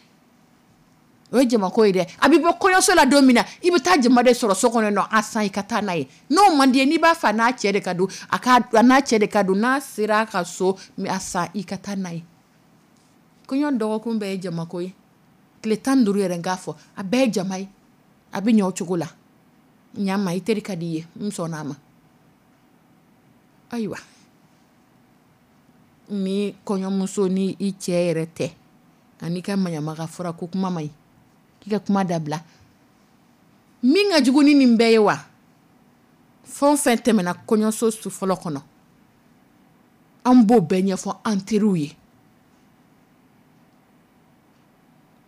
O ye jamako ye dɛ. A bɛ bɔ kɔɲɔso la don min na, i bɛ taa jama de sɔrɔ so kɔnɔ nɔ, a san i ka taa n'a ye. N'o man di ye, n'i b'a fɛ n'a cɛ de ka don, a ka n'a cɛ de ka don, n'a sera a ka so, a san i ka taa n'a ye. Kɔɲɔ dɔgɔkun bɛɛ ye jamako ye. Tile tan duuru yɛrɛ n k'a fɔ, a bɛɛ ye jama ye. A bɛ ɲɛ o cogo la. Ɲama, i teri ka di i ye, n sɔnna a ma. Ayiwa, ni kɔɲɔmuso ni i cɛ yɛrɛ tɛ, ani ka maɲamaga fɔra ko kuma man ɲi, k'i ka kuma dabila. Min ka jugu ni nin bɛɛ ye wa, fɛn o fɛn tɛmɛna kɔɲɔso su fɔlɔ kɔnɔ, an b'o bɛɛ ɲɛfɔ an teriw ye.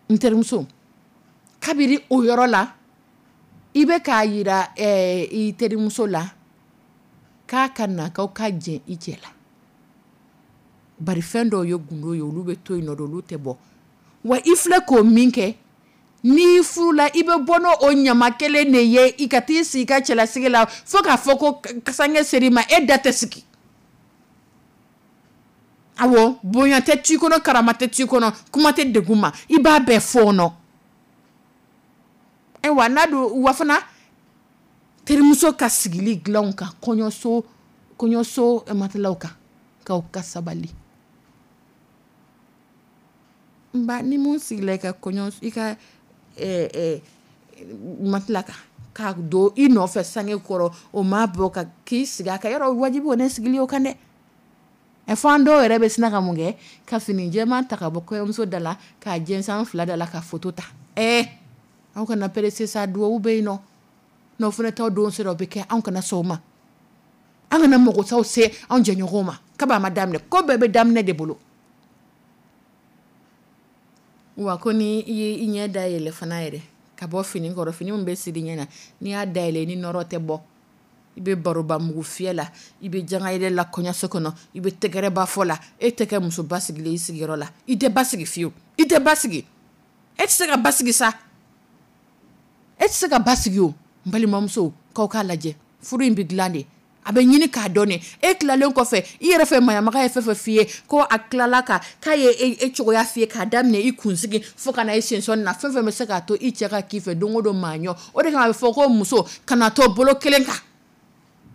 N terimuso, kabiri o yɔrɔ la, i bɛ k'a yira eh, i terimuso la k'a ka na k'aw ka jɛn i cɛ la. Bari fɛn dɔw ye gundo ye, olu bɛ to yen nɔ de, olu tɛ bɔ. Wa i filɛ k'o min kɛ, n'i furula, i bɛ bɔ n'o o ɲama kelen de ye i ka t'i sigi i ka cɛlasigi la, fo k'a fɔ ko sange ser'i ma, e da tɛ sigi. Awɔ, bonya tɛ t'i kɔnɔ, karama tɛ t'i kɔnɔ, kuma tɛ degun ma, i b'a bɛɛ fɔɔnɔ. Ayiwa, n'a don wa fana, terimuso ka sigili dilanw kan, kɔɲɔso kɔɲɔso matelaw kan, k'aw ka sabali. N ba, ni mun sigila i ka kɔɲɔ, i ka eh, eh, matela kan k'a don i nɔfɛ sange kɔrɔ, o ma bɔ ka k'i sigi a kan yɔrɔ, wajibi o ne sigili o kan dɛ. Ɛ, fo an dɔw yɛrɛ bɛ sina ka mun kɛ, ka fini jɛman ta ka bɔ kɔɲɔmuso da la, k'a jɛnsɛn an fila da la, ka foto ta. Ɛɛ, aw kana pressé sa, duwawu bɛ yen nɔ, n'aw fana t'aw don sera, o bɛ kɛ. Anw kana sɔn o ma, an kana mɔgɔsaw se anw jɛɲɔgɔnw ma. Kaba ma daminɛ, ko bɛɛ bɛ daminɛ de bolo. Wa ko ni i ye i ɲɛ dayɛlɛ fana yɛrɛ ka bɔ fini kɔrɔ, fini min bɛ siri ɲɛ na, n'i y'a dayɛlɛ, ni nɔrɔ tɛ bɔ, i bɛ baroba mugu fiyɛ la, i bɛ jangayɛlɛ la kɔɲɔso kɔnɔ, i bɛ tɛgɛrɛba fɔ la, e tɛ kɛ muso basigilen i sigiyɔrɔ la. I tɛ basigi fiyewu, i tɛ basigi, e tɛ se ka basigi sa, e tɛ se ka basigi. O n balimamuso, k'aw k'a lajɛ, furu in bɛ dilan de, a bɛ ɲini k'a dɔn de. E tilalen kɔfɛ, i yɛrɛ fɛ, maɲamaga ye fɛn fɛn f'i ye, ko a tilala ka k'a ye e cogoya f'i ye, k'a daminɛ i kunsigi fo ka na i sensɔn na, fɛn fɛn bɛ se k'a to i cɛ ka k'i fɛ don o don maa ɲɔ. O de kama a bɛ fɔ ko muso kana to bolo kelen kan,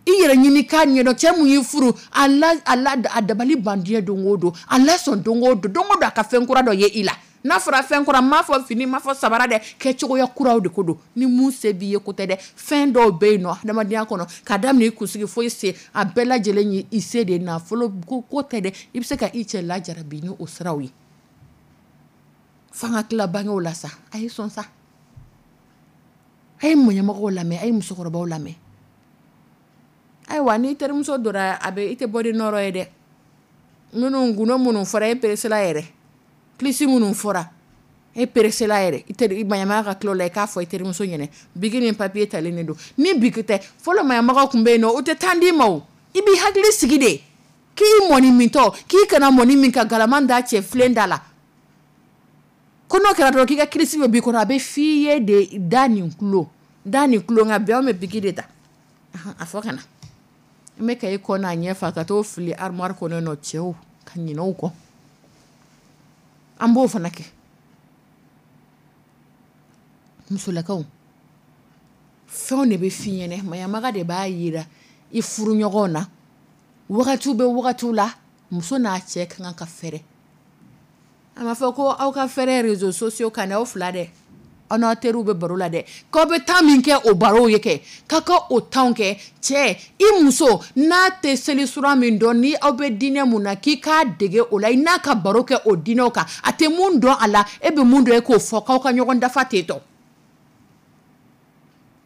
i yɛrɛ ɲini k'a ɲɛdɔn. Cɛ mun y'i furu, a la a la a dabali ban diɲɛ don o don, a lasɔn don o don, don o don a ka fɛn kura dɔ ye i la. N'a fɔra fɛn kura, n m'a fɔ fini, n m'a fɔ sabara dɛ, kɛcogoya kuraw de ko don. Ni mun se b'i ye ko tɛ dɛ, fɛn dɔw bɛ yen nɔ adamadenya kɔnɔ, k'a daminɛ i kunsigi fo i sen, a bɛɛ lajɛlen ye i se de ye. Nafolo ko ko tɛ dɛ, i bɛ se ka i cɛ lajarabi ni o siraw ye. F'an ka tila bangew la sa, a ye sɔn sa, a ye mɔɲɛmɔgɔw lamɛn, a ye musokɔrɔbaw lamɛn. Ayiwa, n'i terimuso donna, a bɛ i tɛ bɔ ni nɔrɔ ye dɛ. Minnu gundo minnu fɔra, e peresela yɛrɛ, kilisi minnu fɔra, e peresela yɛrɛ, i teri maɲamaga ka tila o la, i k'a fɔ i terimuso ɲɛna, biki ni papiye talen de don. Ni biki tɛ, fɔlɔ maɲamagaw tun bɛ yen nɔ, o tɛ tan d'i ma o, i b'i hakili sigi de, k'i mɔni mintɔ, k'i kana mɔni min ka galaman da cɛ filen da la, ko n'o kɛra dɔrɔn k'i ka kilisi bɛ b'i kɔnɔ, a bɛ f'i ye de, da nin kulo, da nin kulo. Nka bi anw bɛ biki de ta, a fɔ ka na n bɛ ka e kɔ n'a ɲɛ fa ka t'o fili armoire kɔnɔ nɔ, cɛw ka ɲinɛ o kɔ, an b'o fana kɛ. Musolakaw, fɛnw de bɛ f'i ɲɛnɛ, maɲamaga de b'a yira i furuɲɔgɔnw na. Wagatiw bɛ wagatiw la, muso n'a cɛ ka kan ka fɛrɛ. A ma fɔ ko aw ka fɛrɛ réseaux sociaux kan dɛ, aw fila dɛ, aw n'aw teriw bɛ baro la dɛ, k'aw bɛ temps min kɛ o barow ye kɛ, k'aw ka o temps kɛ. Cɛ, i muso n'a tɛ seli sura min dɔn, ni aw bɛ diinɛ mun na, k'i k'a dege o la, i n'a ka baro kɛ o diinɛw kan. A tɛ mun dɔn a la, e bɛ mun dɔn, e k'o fɔ, k'aw ka ɲɔgɔn dafa ten tɔ.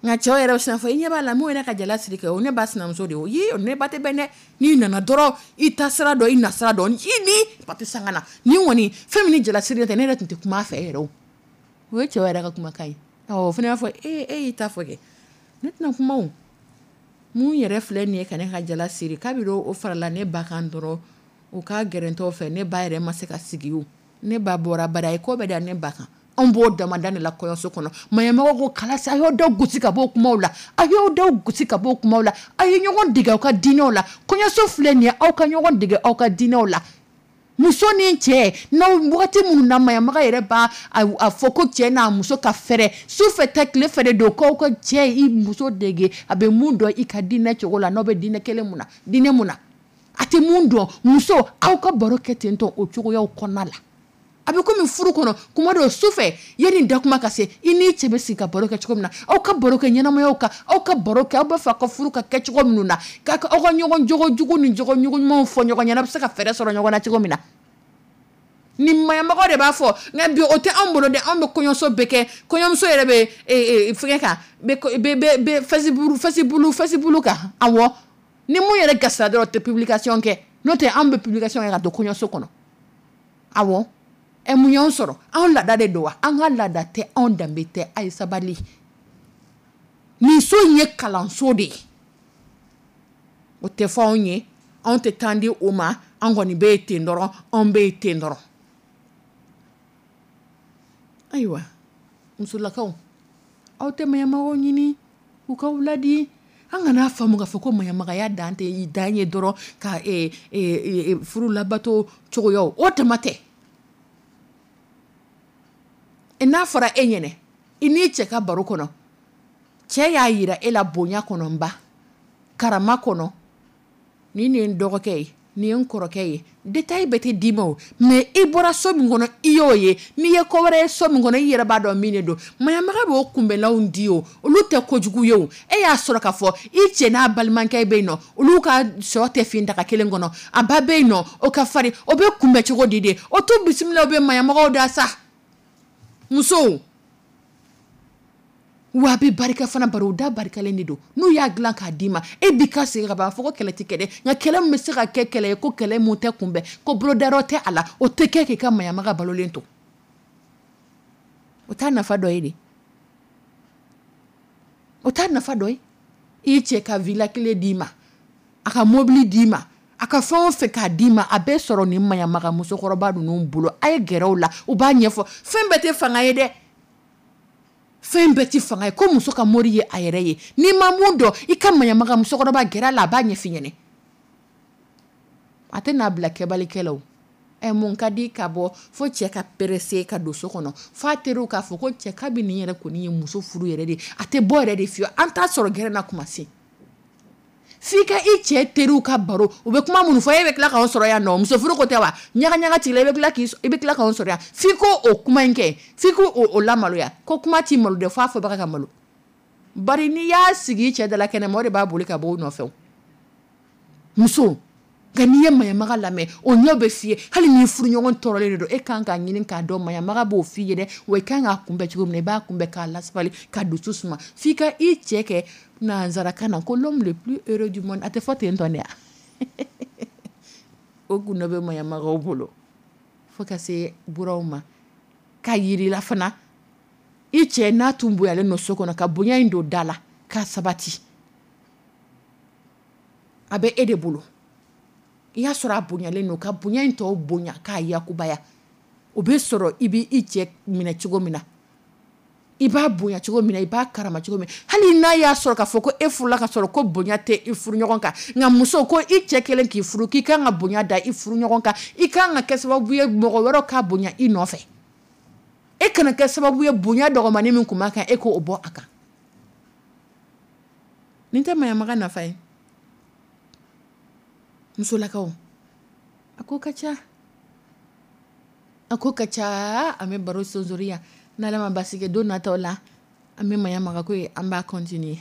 Nka cɛw yɛrɛ bɛ sin fɔ, i ɲɛ b'a la, mun ye ne ka jala siri kɛ, o ne ba sinamuso de ye o ye, o ne ba tɛ bɛn dɛ. N'i nana dɔrɔn, i ta sira dɔn, i na sira dɔn, i ni ba tɛ sanga na ni kɔni fɛn min ni jala siri tɛ, ne yɛrɛ tun tɛ kuma a fɛ yɛrɛ o. O ye cɛw yɛrɛ ka kumakan ye. Awɔ, o fana b'a fɔ e e y'i ta fɔ kɛ, ne tɛna kuma o. Mun yɛrɛ filɛ nin ye ka ne ka jala siri, kabini o farala ne ba kan dɔrɔn, o ka gɛrɛntɔw fɛ, ne ba yɛrɛ ma se ka sigi o. Ne ba bɔra bari a ye ko bɛɛ da ne ba kan. Anw b'o damada de la kɔɲɔso kɔnɔ. Maɲamɔgɔ ko kalasi, a y'aw da gosi ka bɔ o kumaw la, a y'aw da gosi ka bɔ o kumaw la, a ye ɲɔgɔn dege aw ka diinɛw la. Kɔɲɔso filɛ nin ye, aw ka ɲɔgɔn dege aw ka diinɛw la. Muso ni cɛ, n'aw wagati minnu na maɲamaga yɛrɛ b'a a fɔ ko cɛ n'a muso ka fɛrɛ, su fɛ tɛ, tile fɛ de don, k'aw ka cɛ i muso dege a bɛ mun dɔn i ka diinɛ cogo la, n'aw bɛ diinɛ kelen mun na, diinɛ mun na a tɛ mun dɔn. Muso, aw ka baro kɛ ten tɔ o cogoyaw kɔnɔna la. A bɛ komi furu kɔnɔ, kuma dɔw su fɛ, yanni da kuma ka se, i n'i cɛ bɛ sigi ka baro kɛ cogo min na, aw ka baro kɛ ɲɛnamayaw kan, aw ka baro kɛ aw b'a fɛ aw ka furu ka kɛ cogo minnu na, k'a aw ka ɲɔgɔn jogo jugu ni jogo ɲumanw fɔ ɲɔgɔn ɲɛna, a bɛ se ka fɛɛrɛ sɔrɔ ɲɔgɔn na cogo min na. Ni maɲamɔgɔ de b'a fɔ, nka bi o tɛ anw bolo dɛ. Anw bɛ kɔɲɔso bɛɛ kɛ, kɔɲɔmuso yɛrɛ bɛ fɛngɛ kan, bɛ bɛ Facebook Facebook Facebook kan. Awɔ, ni mun yɛrɛ gasira dɔrɔn, o tɛ publication kɛ, n'o tɛ anw bɛ publication kɛ ka don kɔɲɔso kɔnɔ. Awɔ, ɛ, mun y'anw sɔrɔ? Anw laada de don wa? An ka laada tɛ, anw danbe tɛ. A ye sabali, nin so in ye kalanso de ye, o tɛ fɔ anw ye, anw tɛ temps di o ma. An kɔni bɛ yen ten dɔrɔn, anw bɛ yen ten dɔrɔn. Ayiwa, musolakaw, aw tɛ maɲamagaw ɲini u k'aw ladi. An kana faamu k'a fɔ ko maɲamagaya dan tɛ i dan ye dɔrɔn ka furu labato cogoyaw, o tama tɛ. N'a fɔra e ɲɛnɛ, i n'i cɛ ka baro kɔnɔ, cɛ y'a yira e la bonya kɔnɔ, n ba karama kɔnɔ, nin nin ye n dɔgɔkɛ ye, nin ye n kɔrɔkɛ ye, détail bɛɛ tɛ d'i ma o, mais i bɔra so min kɔnɔ, i y'o ye. N'i ye ko wɛrɛ ye so min kɔnɔ, i yɛrɛ b'a dɔn min de don. Maɲamaga b'o kunbɛnlanw di o, olu tɛ kojugu ye o. E y'a sɔrɔ k'a fɔ i cɛ n'a balimakɛ bɛ yen nɔ, olu ka sɔ tɛ fin daga kelen kɔnɔ, a ba bɛ yen nɔ, o ka farin, o bɛ kunbɛn cogo di de? O t'u bisimila, o bɛ maɲamagaw da sa. Musow, wa a bɛ barika fana, bari o da barikalen de don. N'u y'a dilan k'a d'i ma, e b'i ka segin ka ban, a fɔ ko kɛlɛ tɛ kɛ dɛ, nka kɛlɛ min bɛ se ka kɛ kɛlɛ ye, ko kɛlɛ mun tɛ kunbɛn, ko bolodayɔrɔ tɛ a la, o tɛ kɛ k'i ka maɲamaga balolen to. O t'a nafa dɔ ye de, o t'a nafa dɔ ye. I cɛ ka villa kelen d'i ma, a ka mobili d'i ma, a ka fɛn o fɛn k'a d'i ma, a bɛɛ sɔrɔ nin maɲamaga musokɔrɔba ninnu bolo. A ye gɛrɛ u la, u b'a ɲɛfɔ. Fɛn bɛɛ tɛ fanga ye dɛ, fɛn bɛɛ tɛ fanga ye. Ko muso ka mori ye a yɛrɛ ye. N'i ma mun dɔn, i ka maɲamaga musokɔrɔba gɛrɛ a la, a b'a ɲɛf'i ɲɛnɛ. A tɛ n'a bila kɛbalikɛlaw. Ɛ, mun ka di ka bɔ fo cɛ ka pressé ka don so kɔnɔ, f'a teriw k'a fɔ ko cɛ kabi nin yɛrɛ kɔni ye muso furu yɛrɛ de, a tɛ bɔ yɛrɛ de fiyewu, an t'a sɔrɔ gɛrɛ na kuma se. F'i ka i cɛ teriw ka baro, u bɛ kuma minnu fɔ, e bɛ tila k'anw sɔrɔ yan nɔ, muso furu ko tɛ wa, ɲaga ɲaga tigi la, i bɛ tila k'i i bɛ tila k'anw sɔrɔ yan. F'i ko o kuma in kɛ, f'i ko o lamaloya, ko kuma t'i malo dɛ, f'a fɔbaga ka malo. Bari n'i y'a sigi i cɛ da la kɛnɛma, o de b'a boli ka bɔ o nɔfɛ. Muso, nka n'i ye maɲamaga lamɛn, o ɲɛ bɛ f'i ye. Hali n'i furuɲɔgɔn tɔɔrɔlen de don, e kan k'a ɲini k'a dɔn maɲamaga b'o f'i ye dɛ, wa i kan k'a kunbɛn cogo min na, i b'a kunbɛn k'a lasabali, ka dusu suma, f'i ka i cɛ kɛ nanzarakan na ko l'homme le plus heureux du monde. A tɛ fɔ ten tɔ de. O gundo bɛ maɲamagaw bolo, fo ka se buraw ma ka yirila fana. I cɛ n'a tun bonyalen don so kɔnɔ, ka bonya in don da la k'a sabati, a bɛ e de bolo. I y'a sɔrɔ a bonyalen don, ka bonya in tɔw bonya k'a yakubaya, o bɛ sɔrɔ i bɛ i cɛ minɛ cogo min na, i b'a bonya cogo min na, i b'a karama cogo min. Hali n'a y'a sɔrɔ k'a fɔ ko e furula ka sɔrɔ ko bonya tɛ i furu ɲɔgɔn kan, nka muso, ko i cɛ kelen k'i furu, k'i kan ka bonya da i furu ɲɔgɔn kan, i kan ka kɛ sababu ye mɔgɔ wɛrɛw ka bonya i nɔfɛ. E kana kɛ sababu ye bonya dɔgɔmani min kun b'a kan, e k'o bɔ a kan. Nin tɛ maɲamaga nafa ye. Musolakaw, a ko ka ca, a ko ka ca. An bɛ baro sonsori yan, n'Ala ma basi kɛ, don nataw la an bɛ maɲamaga ko ye, an b'a continuer.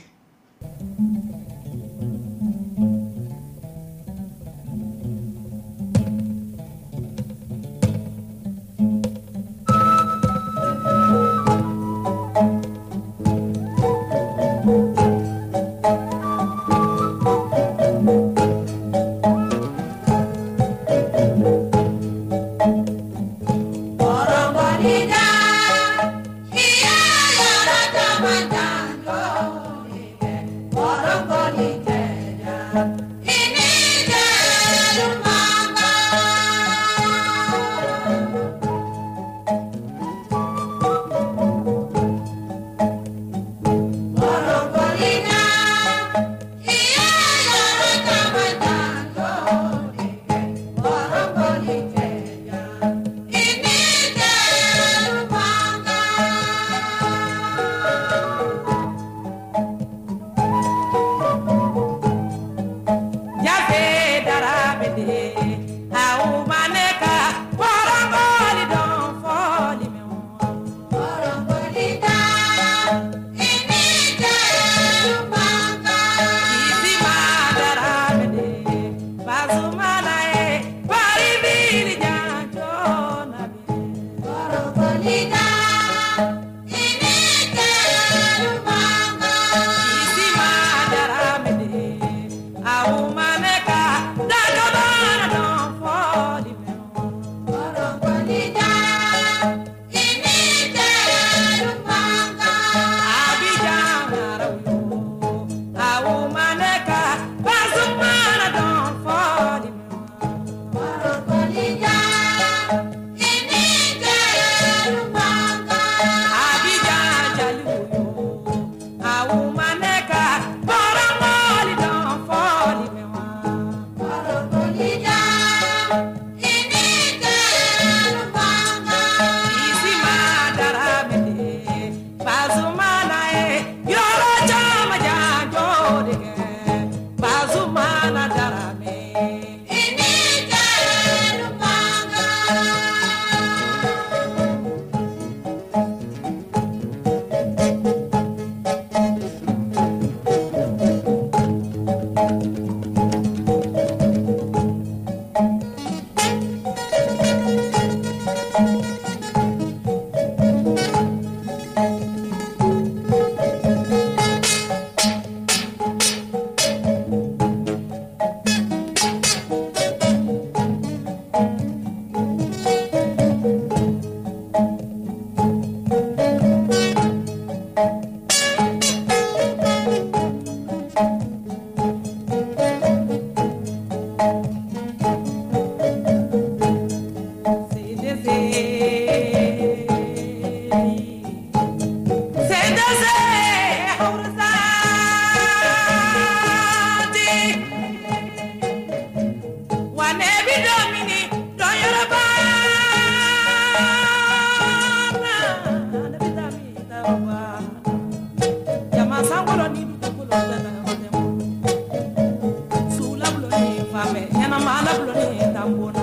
Ŋana ma ala buloni tambona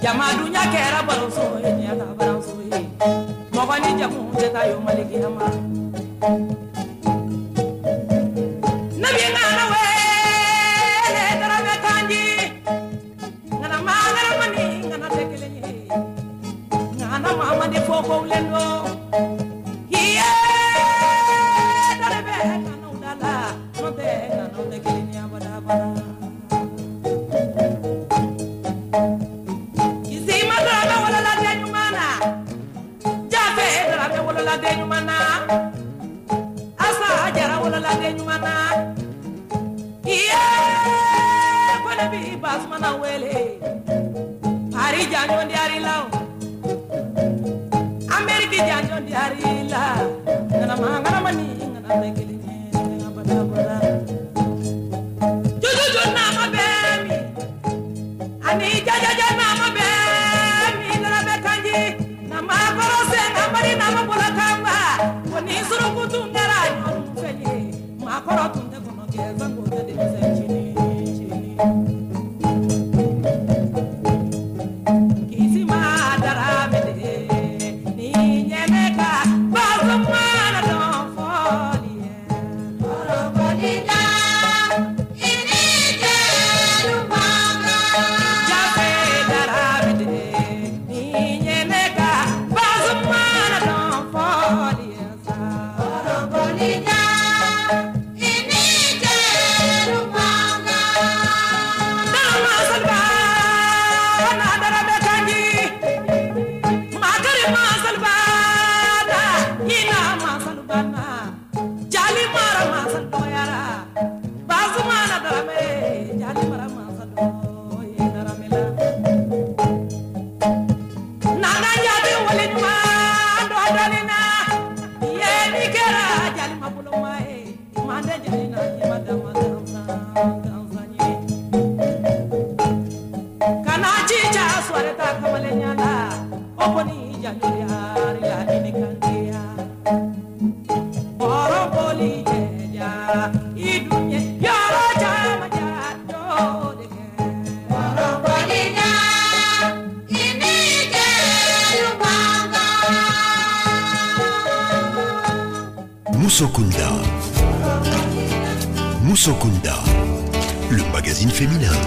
jama dunya kɛra baroso ye diɲɛ ta baroso ye mɔgɔ ni jamu tɛ taa yo malikiyama nabi ŋana wele darame kanji ŋana ma ŋana mani ŋana tɛ kelen ye ŋana mamadi fo kowlen do iye darebe ŋanaw dala no tɛ ŋanaw tɛ kelen ye abada abada Kisima darame wolola den ɲuman na Jafe darame wolola den ɲuman na Asa Jara wolola den ɲuman na Iye ko ne bi Basumana wele Pari janjo ndiyari la Ameriki janjo ndiyari la Ŋana ma ŋana mani ŋana tɛ kelen ye abada abada Jojojo nama bɛ min ani jajaja nama bɛ min darame kanji nama kɔrɔ sen amari nama bolo kanba ko ni suruku tun kɛra ɲɔgɔn fɛ ye maakɔrɔ tun tɛ kɔnɔ kɛ sanko tɛ denmisɛn cini cini kisima darame de ni ɲɛnɛ ka Basumana dɔn fɔli ye Jafe darame de ni ɲɛnɛ ka Basumana dɔn fɔli ye sa. Darama salba na darame kanji Makari masalba na ina masalba na Jali mara masal doyara Basumana darame jali mara masal doy darame la Nana jadi wali ɲuman dɔ dɔnni na ye ni kɛra jali ma boloma ye mande jali na ɲɛma dama gansan gansan ye kana jija soirée ta kamalen ɲa la o kɔni janjo yari la i ni kantiya bɔrɔ boli jɛja i dun ye yɔrɔ caman janjo de kɛ. Moussokunda. Moussokunda, le magazine féminin.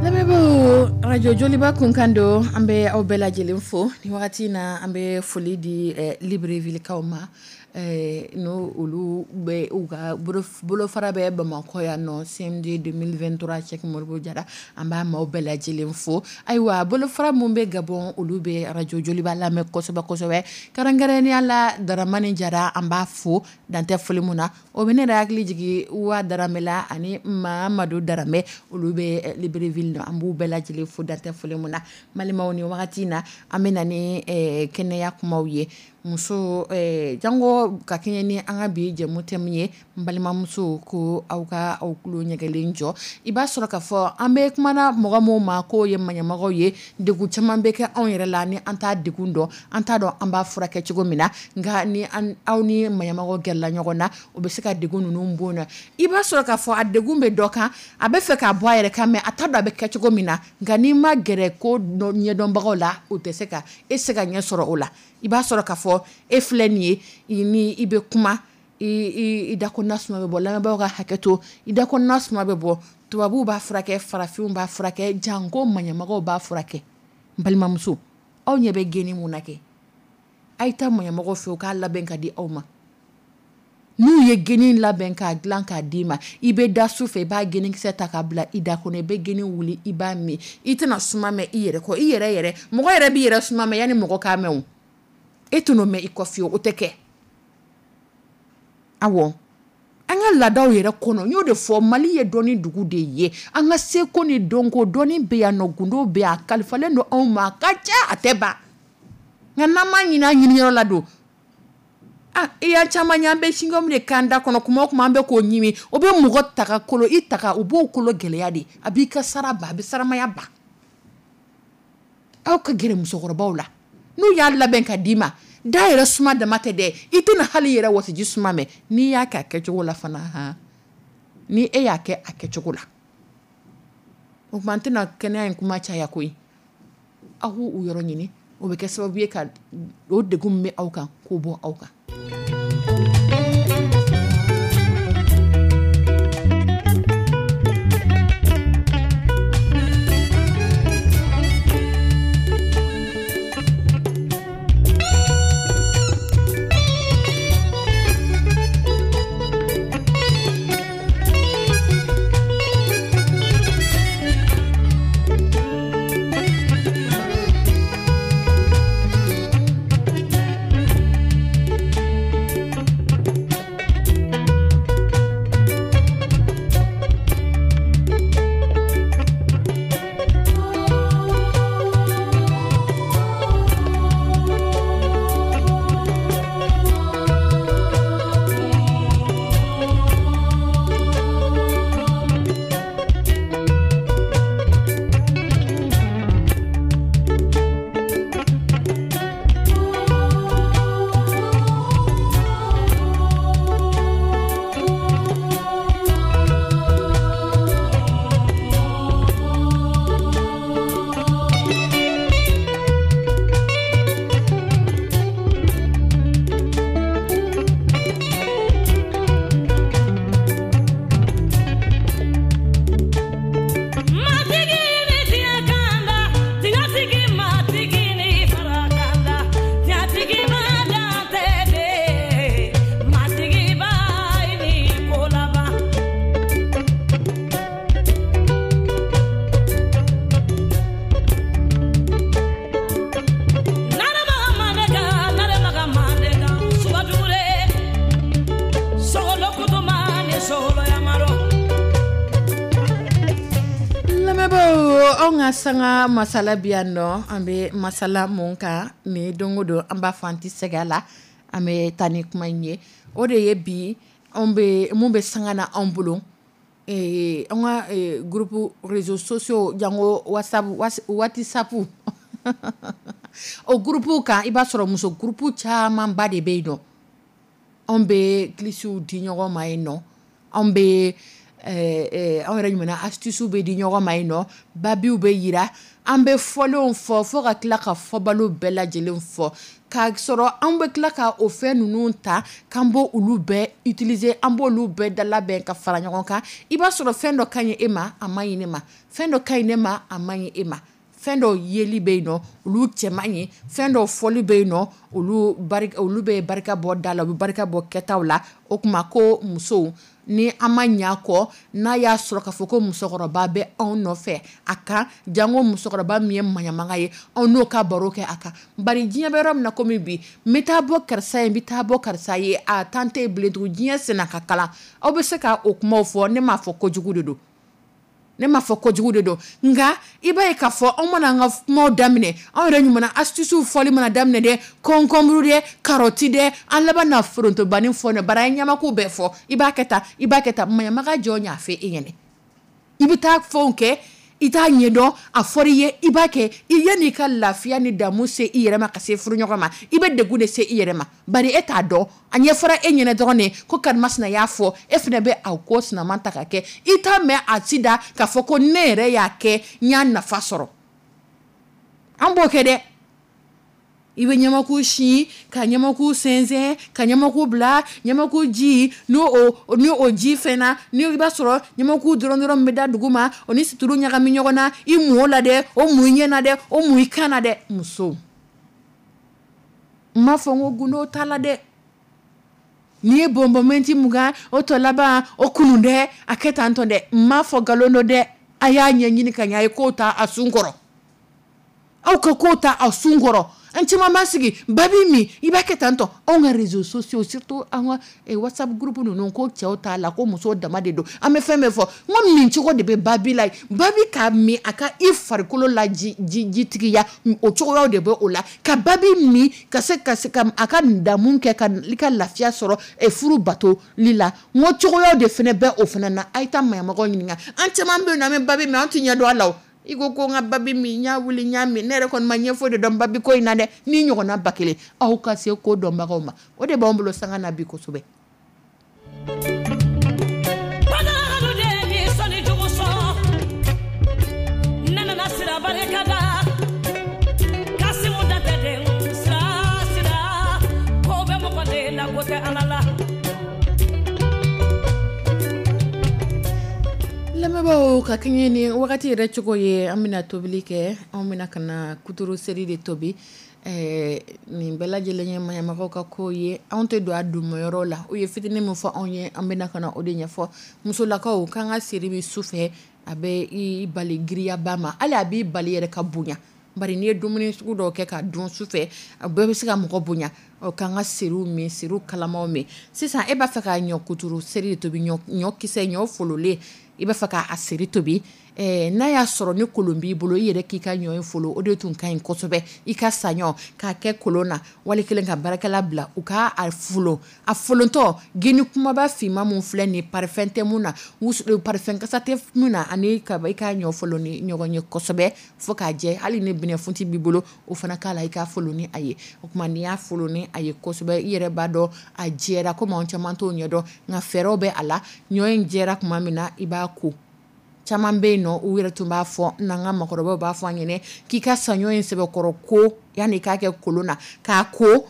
Lamɛnbaaw, radio Joliba kunkan don, an bɛ aw bɛɛ lajɛlen fo nin wagati in na. An bɛ foli di eh, Libreville-kaw ma, eh, n'o olu bɛ u ka bolofara bɛ Bamakɔ yan nɔ, C M D deux mille vingt-trois Cheick Modibo Jara, an b'a maaw bɛɛ lajɛlen fo. Ayiwa, bolofara mun bɛ Gabon, olu bɛ radio Joliba lamɛn kosɛbɛ kosɛbɛ, kɛrɛnkɛrɛnnenya la Daramani Jara, an b'a fo dantɛ foli mun na. O bɛ ne yɛrɛ hakili jigin Uwa Darame la ani Mamadu Darame, olu bɛ eh, Libreville nɔ, an b'u bɛɛ lajɛlen fo dantɛ foli mun na. Balimaw, ni wagati in na, an bɛ na ni eh, kɛnɛya kumaw ye. Muso, eh, jango ka kɛɲɛ ni an ka bi jɛmu thème ye, n balimamuso, ko aw ka aw tulo ɲɛgɛlen jɔ. I b'a sɔrɔ k'a fɔ an bɛ kumana mɔgɔ minnu ma k'o ye maɲɛmɔgɔw ye, degun caman bɛ kɛ anw yɛrɛ la ni an t'a degun dɔn, an t'a dɔn an b'a furakɛ cogo min na. Nka ni an aw ni maɲɛmɔgɔw gɛrɛla ɲɔgɔn na, o bɛ se ka degun ninnu bɔ yen nɔ. I b'a sɔrɔ k'a fɔ a degun bɛ dɔ kan, a bɛ fɛ k'a bɔ a yɛrɛ kan, mais a t'a dɔn a bɛ kɛ cogo min na. Nka n'i ma gɛrɛ ko ɲɛdɔnbagaw la, o tɛ se ka e se ka ɲɛ sɔrɔ o la. I b'a sɔrɔ k'a fɔ e filɛ nin ye, i ni i bɛ kuma, i i da kɔnɔna suma bɛ bɔ. Lamɛnbagaw ka hakɛ to, i da kɔnɔna suma bɛ bɔ. Tubabuw b'a furakɛ, farafinw b'a furakɛ, janko maɲɛmɔgɔw b'a furakɛ. N balimamuso, aw ɲɛ bɛ geni mun na kɛ, a ye taa maɲɛmɔgɔw fɛ, u k'a labɛn ka di aw ma. N'u ye geni labɛn k'a dilan k'a d'i ma, i bɛ da su fɛ, i b'a genikisɛ ta k'a bila i da kɔnɔ, i bɛ geni wuli, i b'a min, i tɛna suma mɛn i yɛrɛ kɔ. I yɛrɛ yɛrɛ mɔgɔ yɛrɛ b'i yɛrɛ suma mɛn yanni mɔgɔ k'a mɛn o, e tɛn'o mɛn i kɔ fiyewu, o tɛ kɛ. Awɔ, an ka laadaw yɛrɛ kɔnɔ, n y'o de fɔ, Mali ye dɔnni dugu de ye. An ka seko ni dɔnko, dɔnni bɛ yan nɔ, gundo bɛ yan, a kalifalen don anw ma, a ka ca, a tɛ ban. Nka n'an m'a ɲini an ɲiniyɔrɔ la don, ah, i y'a caman ye, an bɛ chewing-gum de k'an da kɔnɔ kuma o kuma, an bɛ k'o ɲimi, o bɛ mɔgɔ taga kolo i taga, u b'o kolo gɛlɛya de, a b'i ka sara ban, a bɛ saramaya ban. Aw ka gɛrɛ musokɔrɔbaw la, n'u y'a labɛn ka d'i ma, da yɛrɛ suma dama tɛ dɛ, i tɛna hali yɛrɛ wɔsiji suma mɛn n'i y'a kɛ a kɛcogo la fana. Han, ni e y'a kɛ a kɛcogo la. O tuma an tɛna kɛnɛya in kuma caya koyi. Aw k'u yɔrɔ ɲini, o bɛ kɛ sababu ye ka o degun min bɛ aw kan k'o bɔ aw kan. Sanga masala bi yan nɔ, an bɛ masala mun kan ni don o don an b'a fɔ an tɛ sɛgɛn a la, an bɛ taa ni kuma in ye. O de ye bi anw bɛ mun bɛ sanga na anw bolo, ee an ka groupe réseaux sociaux jango WhatsApp WhatsApp o groupe kan, i b'a sɔrɔ muso groupe camanba de bɛ yen nɔ. Anw bɛ kilisiw di ɲɔgɔn ma yen nɔ, anw bɛ anw yɛrɛ ɲuman astuces bɛ di ɲɔgɔn ma yen nɔ, babiw bɛ yira, an bɛ fɔlenw fɔ fo ka tila ka fɔbalo bɛɛ lajɛlen fɔ, k'a sɔrɔ an bɛ tila ka o fɛn ninnu ta k'an b'o olu bɛɛ utiliser, an b'olu bɛɛ dalabɛn ka fara ɲɔgɔn kan. I b'a sɔrɔ fɛn dɔ ka ɲi e ma, a man ɲi ne ma, fɛn dɔ ka ɲi ne ma, a man ɲi e ma, fɛn dɔw yeli bɛ yen nɔ, olu cɛ man ɲi, fɛn dɔw fɔli bɛ yen nɔ, olu barika olu bɛ barika bɔ da la, u bɛ barika bɔ kɛtaw la. O tuma ko musow, ni an ma ɲa kɔ, n'a y'a sɔrɔ k'a fɔ ko musokɔrɔba bɛ anw nɔfɛ a kan, jango musokɔrɔba min ye maɲamaga ye, anw n'o ka baro kɛ a kan. Bari diɲɛ bɛ yɔrɔ min na komi bi, n bɛ taa bɔ karisa ye, n bɛ taa bɔ karisa ye, a tan tɛ bilen tugun, diɲɛ senna ka kalan. Aw bɛ se ka o kumaw fɔ, ne m'a fɔ kojugu de don, ne m'a fɔ kojugu de don, nka i b'a ye k'a fɔ anw mana an ka kumaw daminɛ, anw yɛrɛ ɲuman astuces fɔli mana daminɛ dɛ, concombre dɛ, carotte dɛ, an laban na forontobani fɔ ne bara, an ye ɲamaku bɛɛ fɔ, i b'a kɛ tan, i b'a kɛ tan, maɲamaga jɔn y'a fɛ e ɲɛnɛ. I bɛ taa fɛnw kɛ, i t'a ɲɛdɔn, a fɔra i ye, i b'a kɛ, i yanni i ka lafiya ni damu se i yɛrɛ ma ka se furuɲɔgɔn ma, i bɛ degun de se i yɛrɛ ma, bari e t'a dɔn, a ɲɛfɔra e ɲɛnɛ dɔrɔn de ko karimasina y'a fɔ, e fana bɛ a ko sinaman ta ka kɛ, i t'a mɛn a ci da k'a fɔ ko ne yɛrɛ y'a kɛ, n y'a nafa sɔrɔ. An b'o kɛ dɛ. I bɛ ɲamaku si, ka ɲamaku sɛnsɛn, ka ɲamaku bila, ɲamaku ji, n'o o ni o ji fɛnna, ni i b'a sɔrɔ ɲamaku dɔrɔn dɔrɔn bɛ da dugu ma, o ni situlu ɲagami ɲɔgɔn na, i mun o la dɛ, o mun i ɲɛ na dɛ, o mun i kan na dɛ. Muso, n m'a fɔ n ko gundo t'a la dɛ. N'i ye bɔnbɔnmɛnti mugan, o tɔ laban, o kunun dɛ, a kɛ tan tɔ dɛ. N m'a fɔ nkalon don dɛ. A y'a ɲɛɲini ka ɲɛ, a ye kow ta a sun kɔrɔ. Aw ka kow ta a sun kɔrɔ. An caman b'a sigi babi min i b'a kɛ tan tɔ. Anw ka réseaux sociaux, surtout an ka WhatsApp groupe ninnu, ko cɛw t'a la, ko musow dama de don. An bɛ fɛn bɛɛ fɔ, n ko min cogo de bɛ babi la, babi k'a min a ka i farikolo la ji jitigiya, o cogoyaw de bɛ o la. Ka babi min ka se ka se ka a ka damu kɛ ka i ka lafiya sɔrɔ furu batoli la, n ko cogoyaw de fana bɛ o fana na. A ye taa maɲamɔgɔw ɲininka. An caman bɛ yen nɔ, an bɛ babi min, an tɛ ɲɛ dɔn a la o. I ko ko n ka babi min, n y'a wuli, n y'a min, ne yɛrɛ kɔni ma ɲɛfɔ de dɔn babi ko in na dɛ. Ni ɲɔgɔnna ba kelen, aw ka se ko dɔnbagaw ma, o de b'anw bolo sanga na bi kosɛbɛ. Lamɛnbaaw, ka kɛɲɛ ni wagati yɛrɛ cogo ye, an bɛna tobili kɛ. An bɛna ka na kuturu seri de tobi. ɛɛ nin bɛɛ lajɛlen ye maɲamagaw ka ko ye. Anw tɛ don a donmayɔrɔ la. U ye fitinin min fɔ anw ye, an bɛna ka na o de ɲɛfɔ musolakaw. K'an ka seri min su fɛ, a bɛ i bali giriyaba ma, hali a b'i bali yɛrɛ ka bonya, bari n'i ye dumuni sugu dɔw kɛ ka dun su fɛ, a bɛɛ bɛ se ka mɔgɔ bonya. Ɔ k'an ka seriw min, seriw kalamaw min. Sisan e b'a fɛ ka ɲɔ kuturu seri de tobi, ɲɔ ɲɔ kisɛ, ɲɔ fololen, i b'a fɛ k'a seri tobi. ɛɛ n'a y'a sɔrɔ ni kolon b'i bolo, i yɛrɛ k'i ka ɲɔ in folo, o de tun ka ɲi kosɛbɛ. I ka saɲɔ k'a kɛ kolon na, wali kelen ka baarakɛla bila u k'a folon. A folontɔ, geni kumaba finman mun filɛ nin ye, parfum tɛ mun na, parfum kasa tɛ mun na, ani ka i ka ɲɔ folon ni ɲɔgɔn ye kosɛbɛ fo k'a jɛ. Hali ni binɛfunti b'i bolo, o fana k'a la, i k'a folon ni a ye. O tuma n'i y'a folon ni a ye kosɛbɛ, i yɛrɛ b'a dɔn a jɛra. Komi anw caman t'o ɲɛdɔn, nka fɛɛrɛw bɛ a la. Ɲɔ in jɛra tuma min na, i b'a ko. Caman bɛ yen nɔ, u yɛrɛ tun b'a fɔ, n'an ka makɔrɔbaw b'a fɔ an ɲɛnɛ k'i ka saɲɔ in sɛbɛkɔrɔ ko yanni k'a kɛ kolon na, k'a ko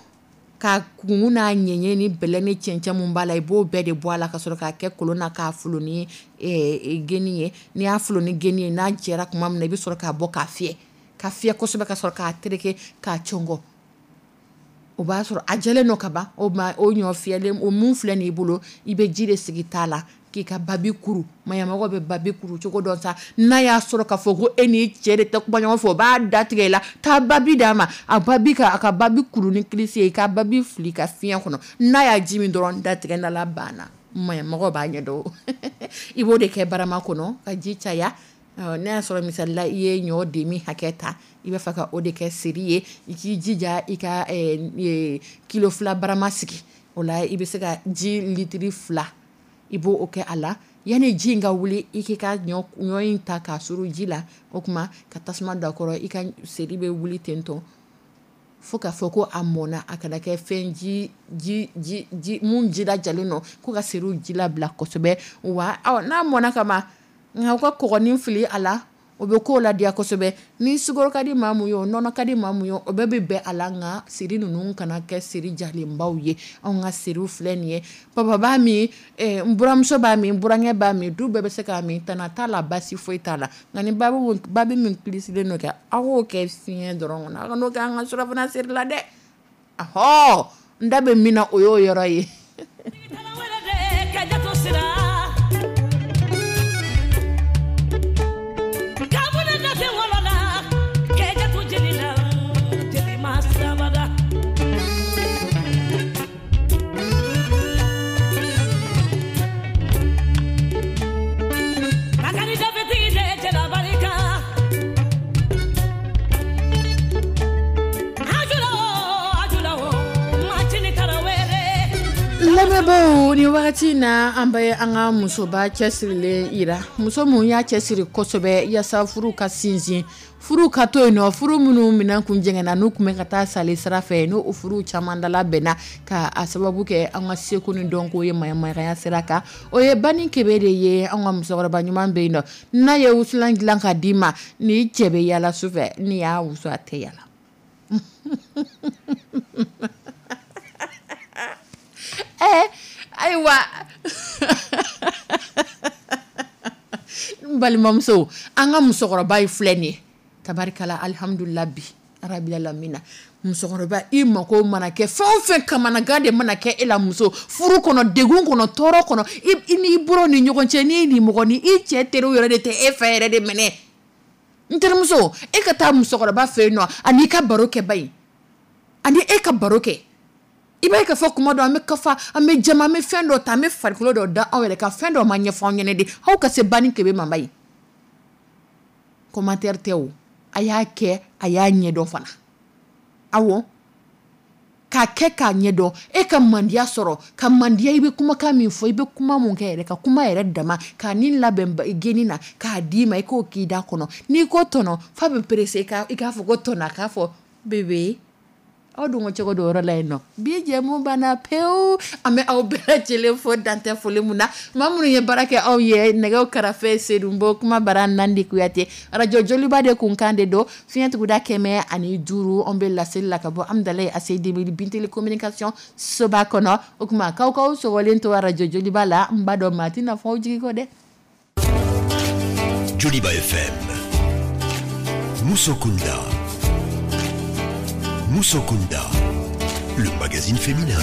ka kun n'a ɲɛɲɛ ni bɛlɛ ni cɛncɛn mun b'a la, i b'o bɛɛ de bɔ a la ka sɔrɔ k'a kɛ kolon na, k'a folon ni geni ye. N'i y'a folon ni geni ye, n'a jɛra tuma min na, i bɛ sɔrɔ k'a bɔ k'a fiyɛ, ka fiyɛ kosɛbɛ, ka sɔrɔ k'a tereke k'a cɔngɔ. O b'a sɔrɔ a jɛlen don ka ban. O ma o ɲɔ fiyɛlen o mun filɛ nin bolo, i bɛ ji de sigi t'a la k'i ka babi kuru. Maɲamɔgɔ bɛ babi kuru cogo dɔ sa. N'a y'a sɔrɔ k'a fɔ ko e n'i cɛ de tɛ kuma ɲɔgɔn fɛ, o b'a datigɛ i la, taa babi d'a ma, a babi ka a ka babi kuru ni kilisi ye, i ka babi fili ka fiɲɛ kɔnɔ. N'a y'a ji min dɔrɔn, datigɛ n'ala banna. Maɲamɔgɔ b'a ɲɛdɔn. I b'o de kɛ barama kɔnɔ ka ji caya. N'a y'a sɔrɔ misali la i ye ɲɔ demi hakɛ ta, i b'a fɛ ka o de kɛ seri ye, i k'i jija i ka kilo fila barama sigi. O la i bɛ se ka ji litiri fila, i b'o o kɛ a la. Yanni ji in ka wuli, i k'i ka ɲɔ ɲɔ in ta k'a suru ji la. O tuma ka tasuma don a kɔrɔ, i ka seri bɛ wuli tentɔ fo k'a fɔ ko a mɔnna. A kana kɛ fɛn ji ji ji ji mun jilajalen don, ko ka seriw ji labila kosɛbɛ. Wa n'a mɔnna ka ban, nka u ka kɔgɔnin fili a la, o bɛ k'o ladiya kosɛbɛ. Ni sukaro ka di maa mun ye, o nɔnɔ ka di maa mun ye, o bɛɛ bɛ bɛn a la. Nka seri ninnu kana kɛ seri jalenbaw ye. Anw ka seriw filɛ nin ye, papa b'a min, n buramuso b'a min, n burankɛ b'a min, du bɛɛ bɛ se k'a min, tana t'a la, basi foyi t'a la. Nka ni babi babi min kilisilen don kɛ, aw k'o kɛ fiɲɛ dɔrɔn kɔnɔ, aw kan'o kɛ an ka surafana seri la dɛ. Ahɔ, n da bɛ min na, o y'o yɔrɔ ye. Lamɛnbaaw, ni wagati na an bɛ an ka musoba cɛsirilen yira, muso mun y'a cɛsiri kosɛbɛ yaasa furu ka sinsin, furu ka to yen nɔ, furu minnu minɛn kun jɛngɛnna, n'u tun bɛ ka taa sali sira fɛ, n'o o furu caman dala bɛnna ka a sababu kɛ an ka seko ni dɔnko ye maɲamaya sira kan. O ye Bani Kebe de ye. An ka musokɔrɔba ɲuman bɛ yen nɔ, n'a ye wusulan dilan ka d'i ma, n'i cɛ bɛ yala su fɛ, n'i y'a wusu a tɛ yala. Ɛɛ ayiwa, n balimamuso, an ka musokɔrɔba ye filɛ nin ye, tabarikala, alihamudulila bi arabila lamina. Musokɔrɔba, i mako mana kɛ fɛn o fɛn, kamanagan de mana kɛ e la muso furu kɔnɔ, degun kɔnɔ, tɔɔrɔ kɔnɔ, i n'i bolo ni ɲɔgɔn cɛ, n'i ni mɔgɔ ni i cɛ teriw yɛrɛ de tɛ e fɛ yɛrɛ de minɛ. N terimuso, e ka taa musokɔrɔba fɛ yen nɔ, ani i ka baro kɛ ba ye, ani e ka baro kɛ. I b'a ye k'a fɔ kuma dɔ an bɛ kafa, an bɛ jama, an bɛ fɛn dɔ ta, an bɛ farikolo dɔ da anw yɛrɛ kan, fɛn dɔ ma ɲɛfɔ anw ɲɛnɛ de, aw ka se Bani Kebe mama ye. Commentaire tɛ o, a y'a kɛ, a y'a ɲɛdɔn fana. Awɔ, k'a kɛ k'a ɲɛdɔn, e ka mandiya sɔrɔ, ka mandiya, i bɛ kumakan min fɔ, i bɛ kuma mun kɛ yɛrɛ, ka kuma yɛrɛ dama, k'a ni labɛn geni na, k'a d'i ma, i k'o k'i da kɔnɔ. N'i ko tɔnɔ, f'a bɛ pressé i k'a fɔ ko tɔnɔ, a k'a fɔ bébé. Aw dun ko cogo dɔ yɔrɔ la yen nɔ, bi jɛmu banna pewu. An bɛ aw bɛɛ lajɛlen fo dantɛ foli mun na. Maa minnu ye baara kɛ aw ye, nɛgɛw karafe Sedunbo, kuma bara Nandi Kuyate, arajo Joliba de kunkan de don, fiɲɛ tuguda kɛmɛ ani duuru. An bɛ laseli la ka bɔ Amudalayi A C D B Binteli communication soba kɔnɔ. O tuma k'aw k'aw sɔgɔlen to arajo Joliba la, n b'a dɔn maa tɛna fɔ aw jigi kɔ dɛ. Joliba F M. Musokunda. Musokunda, le magazine féminin.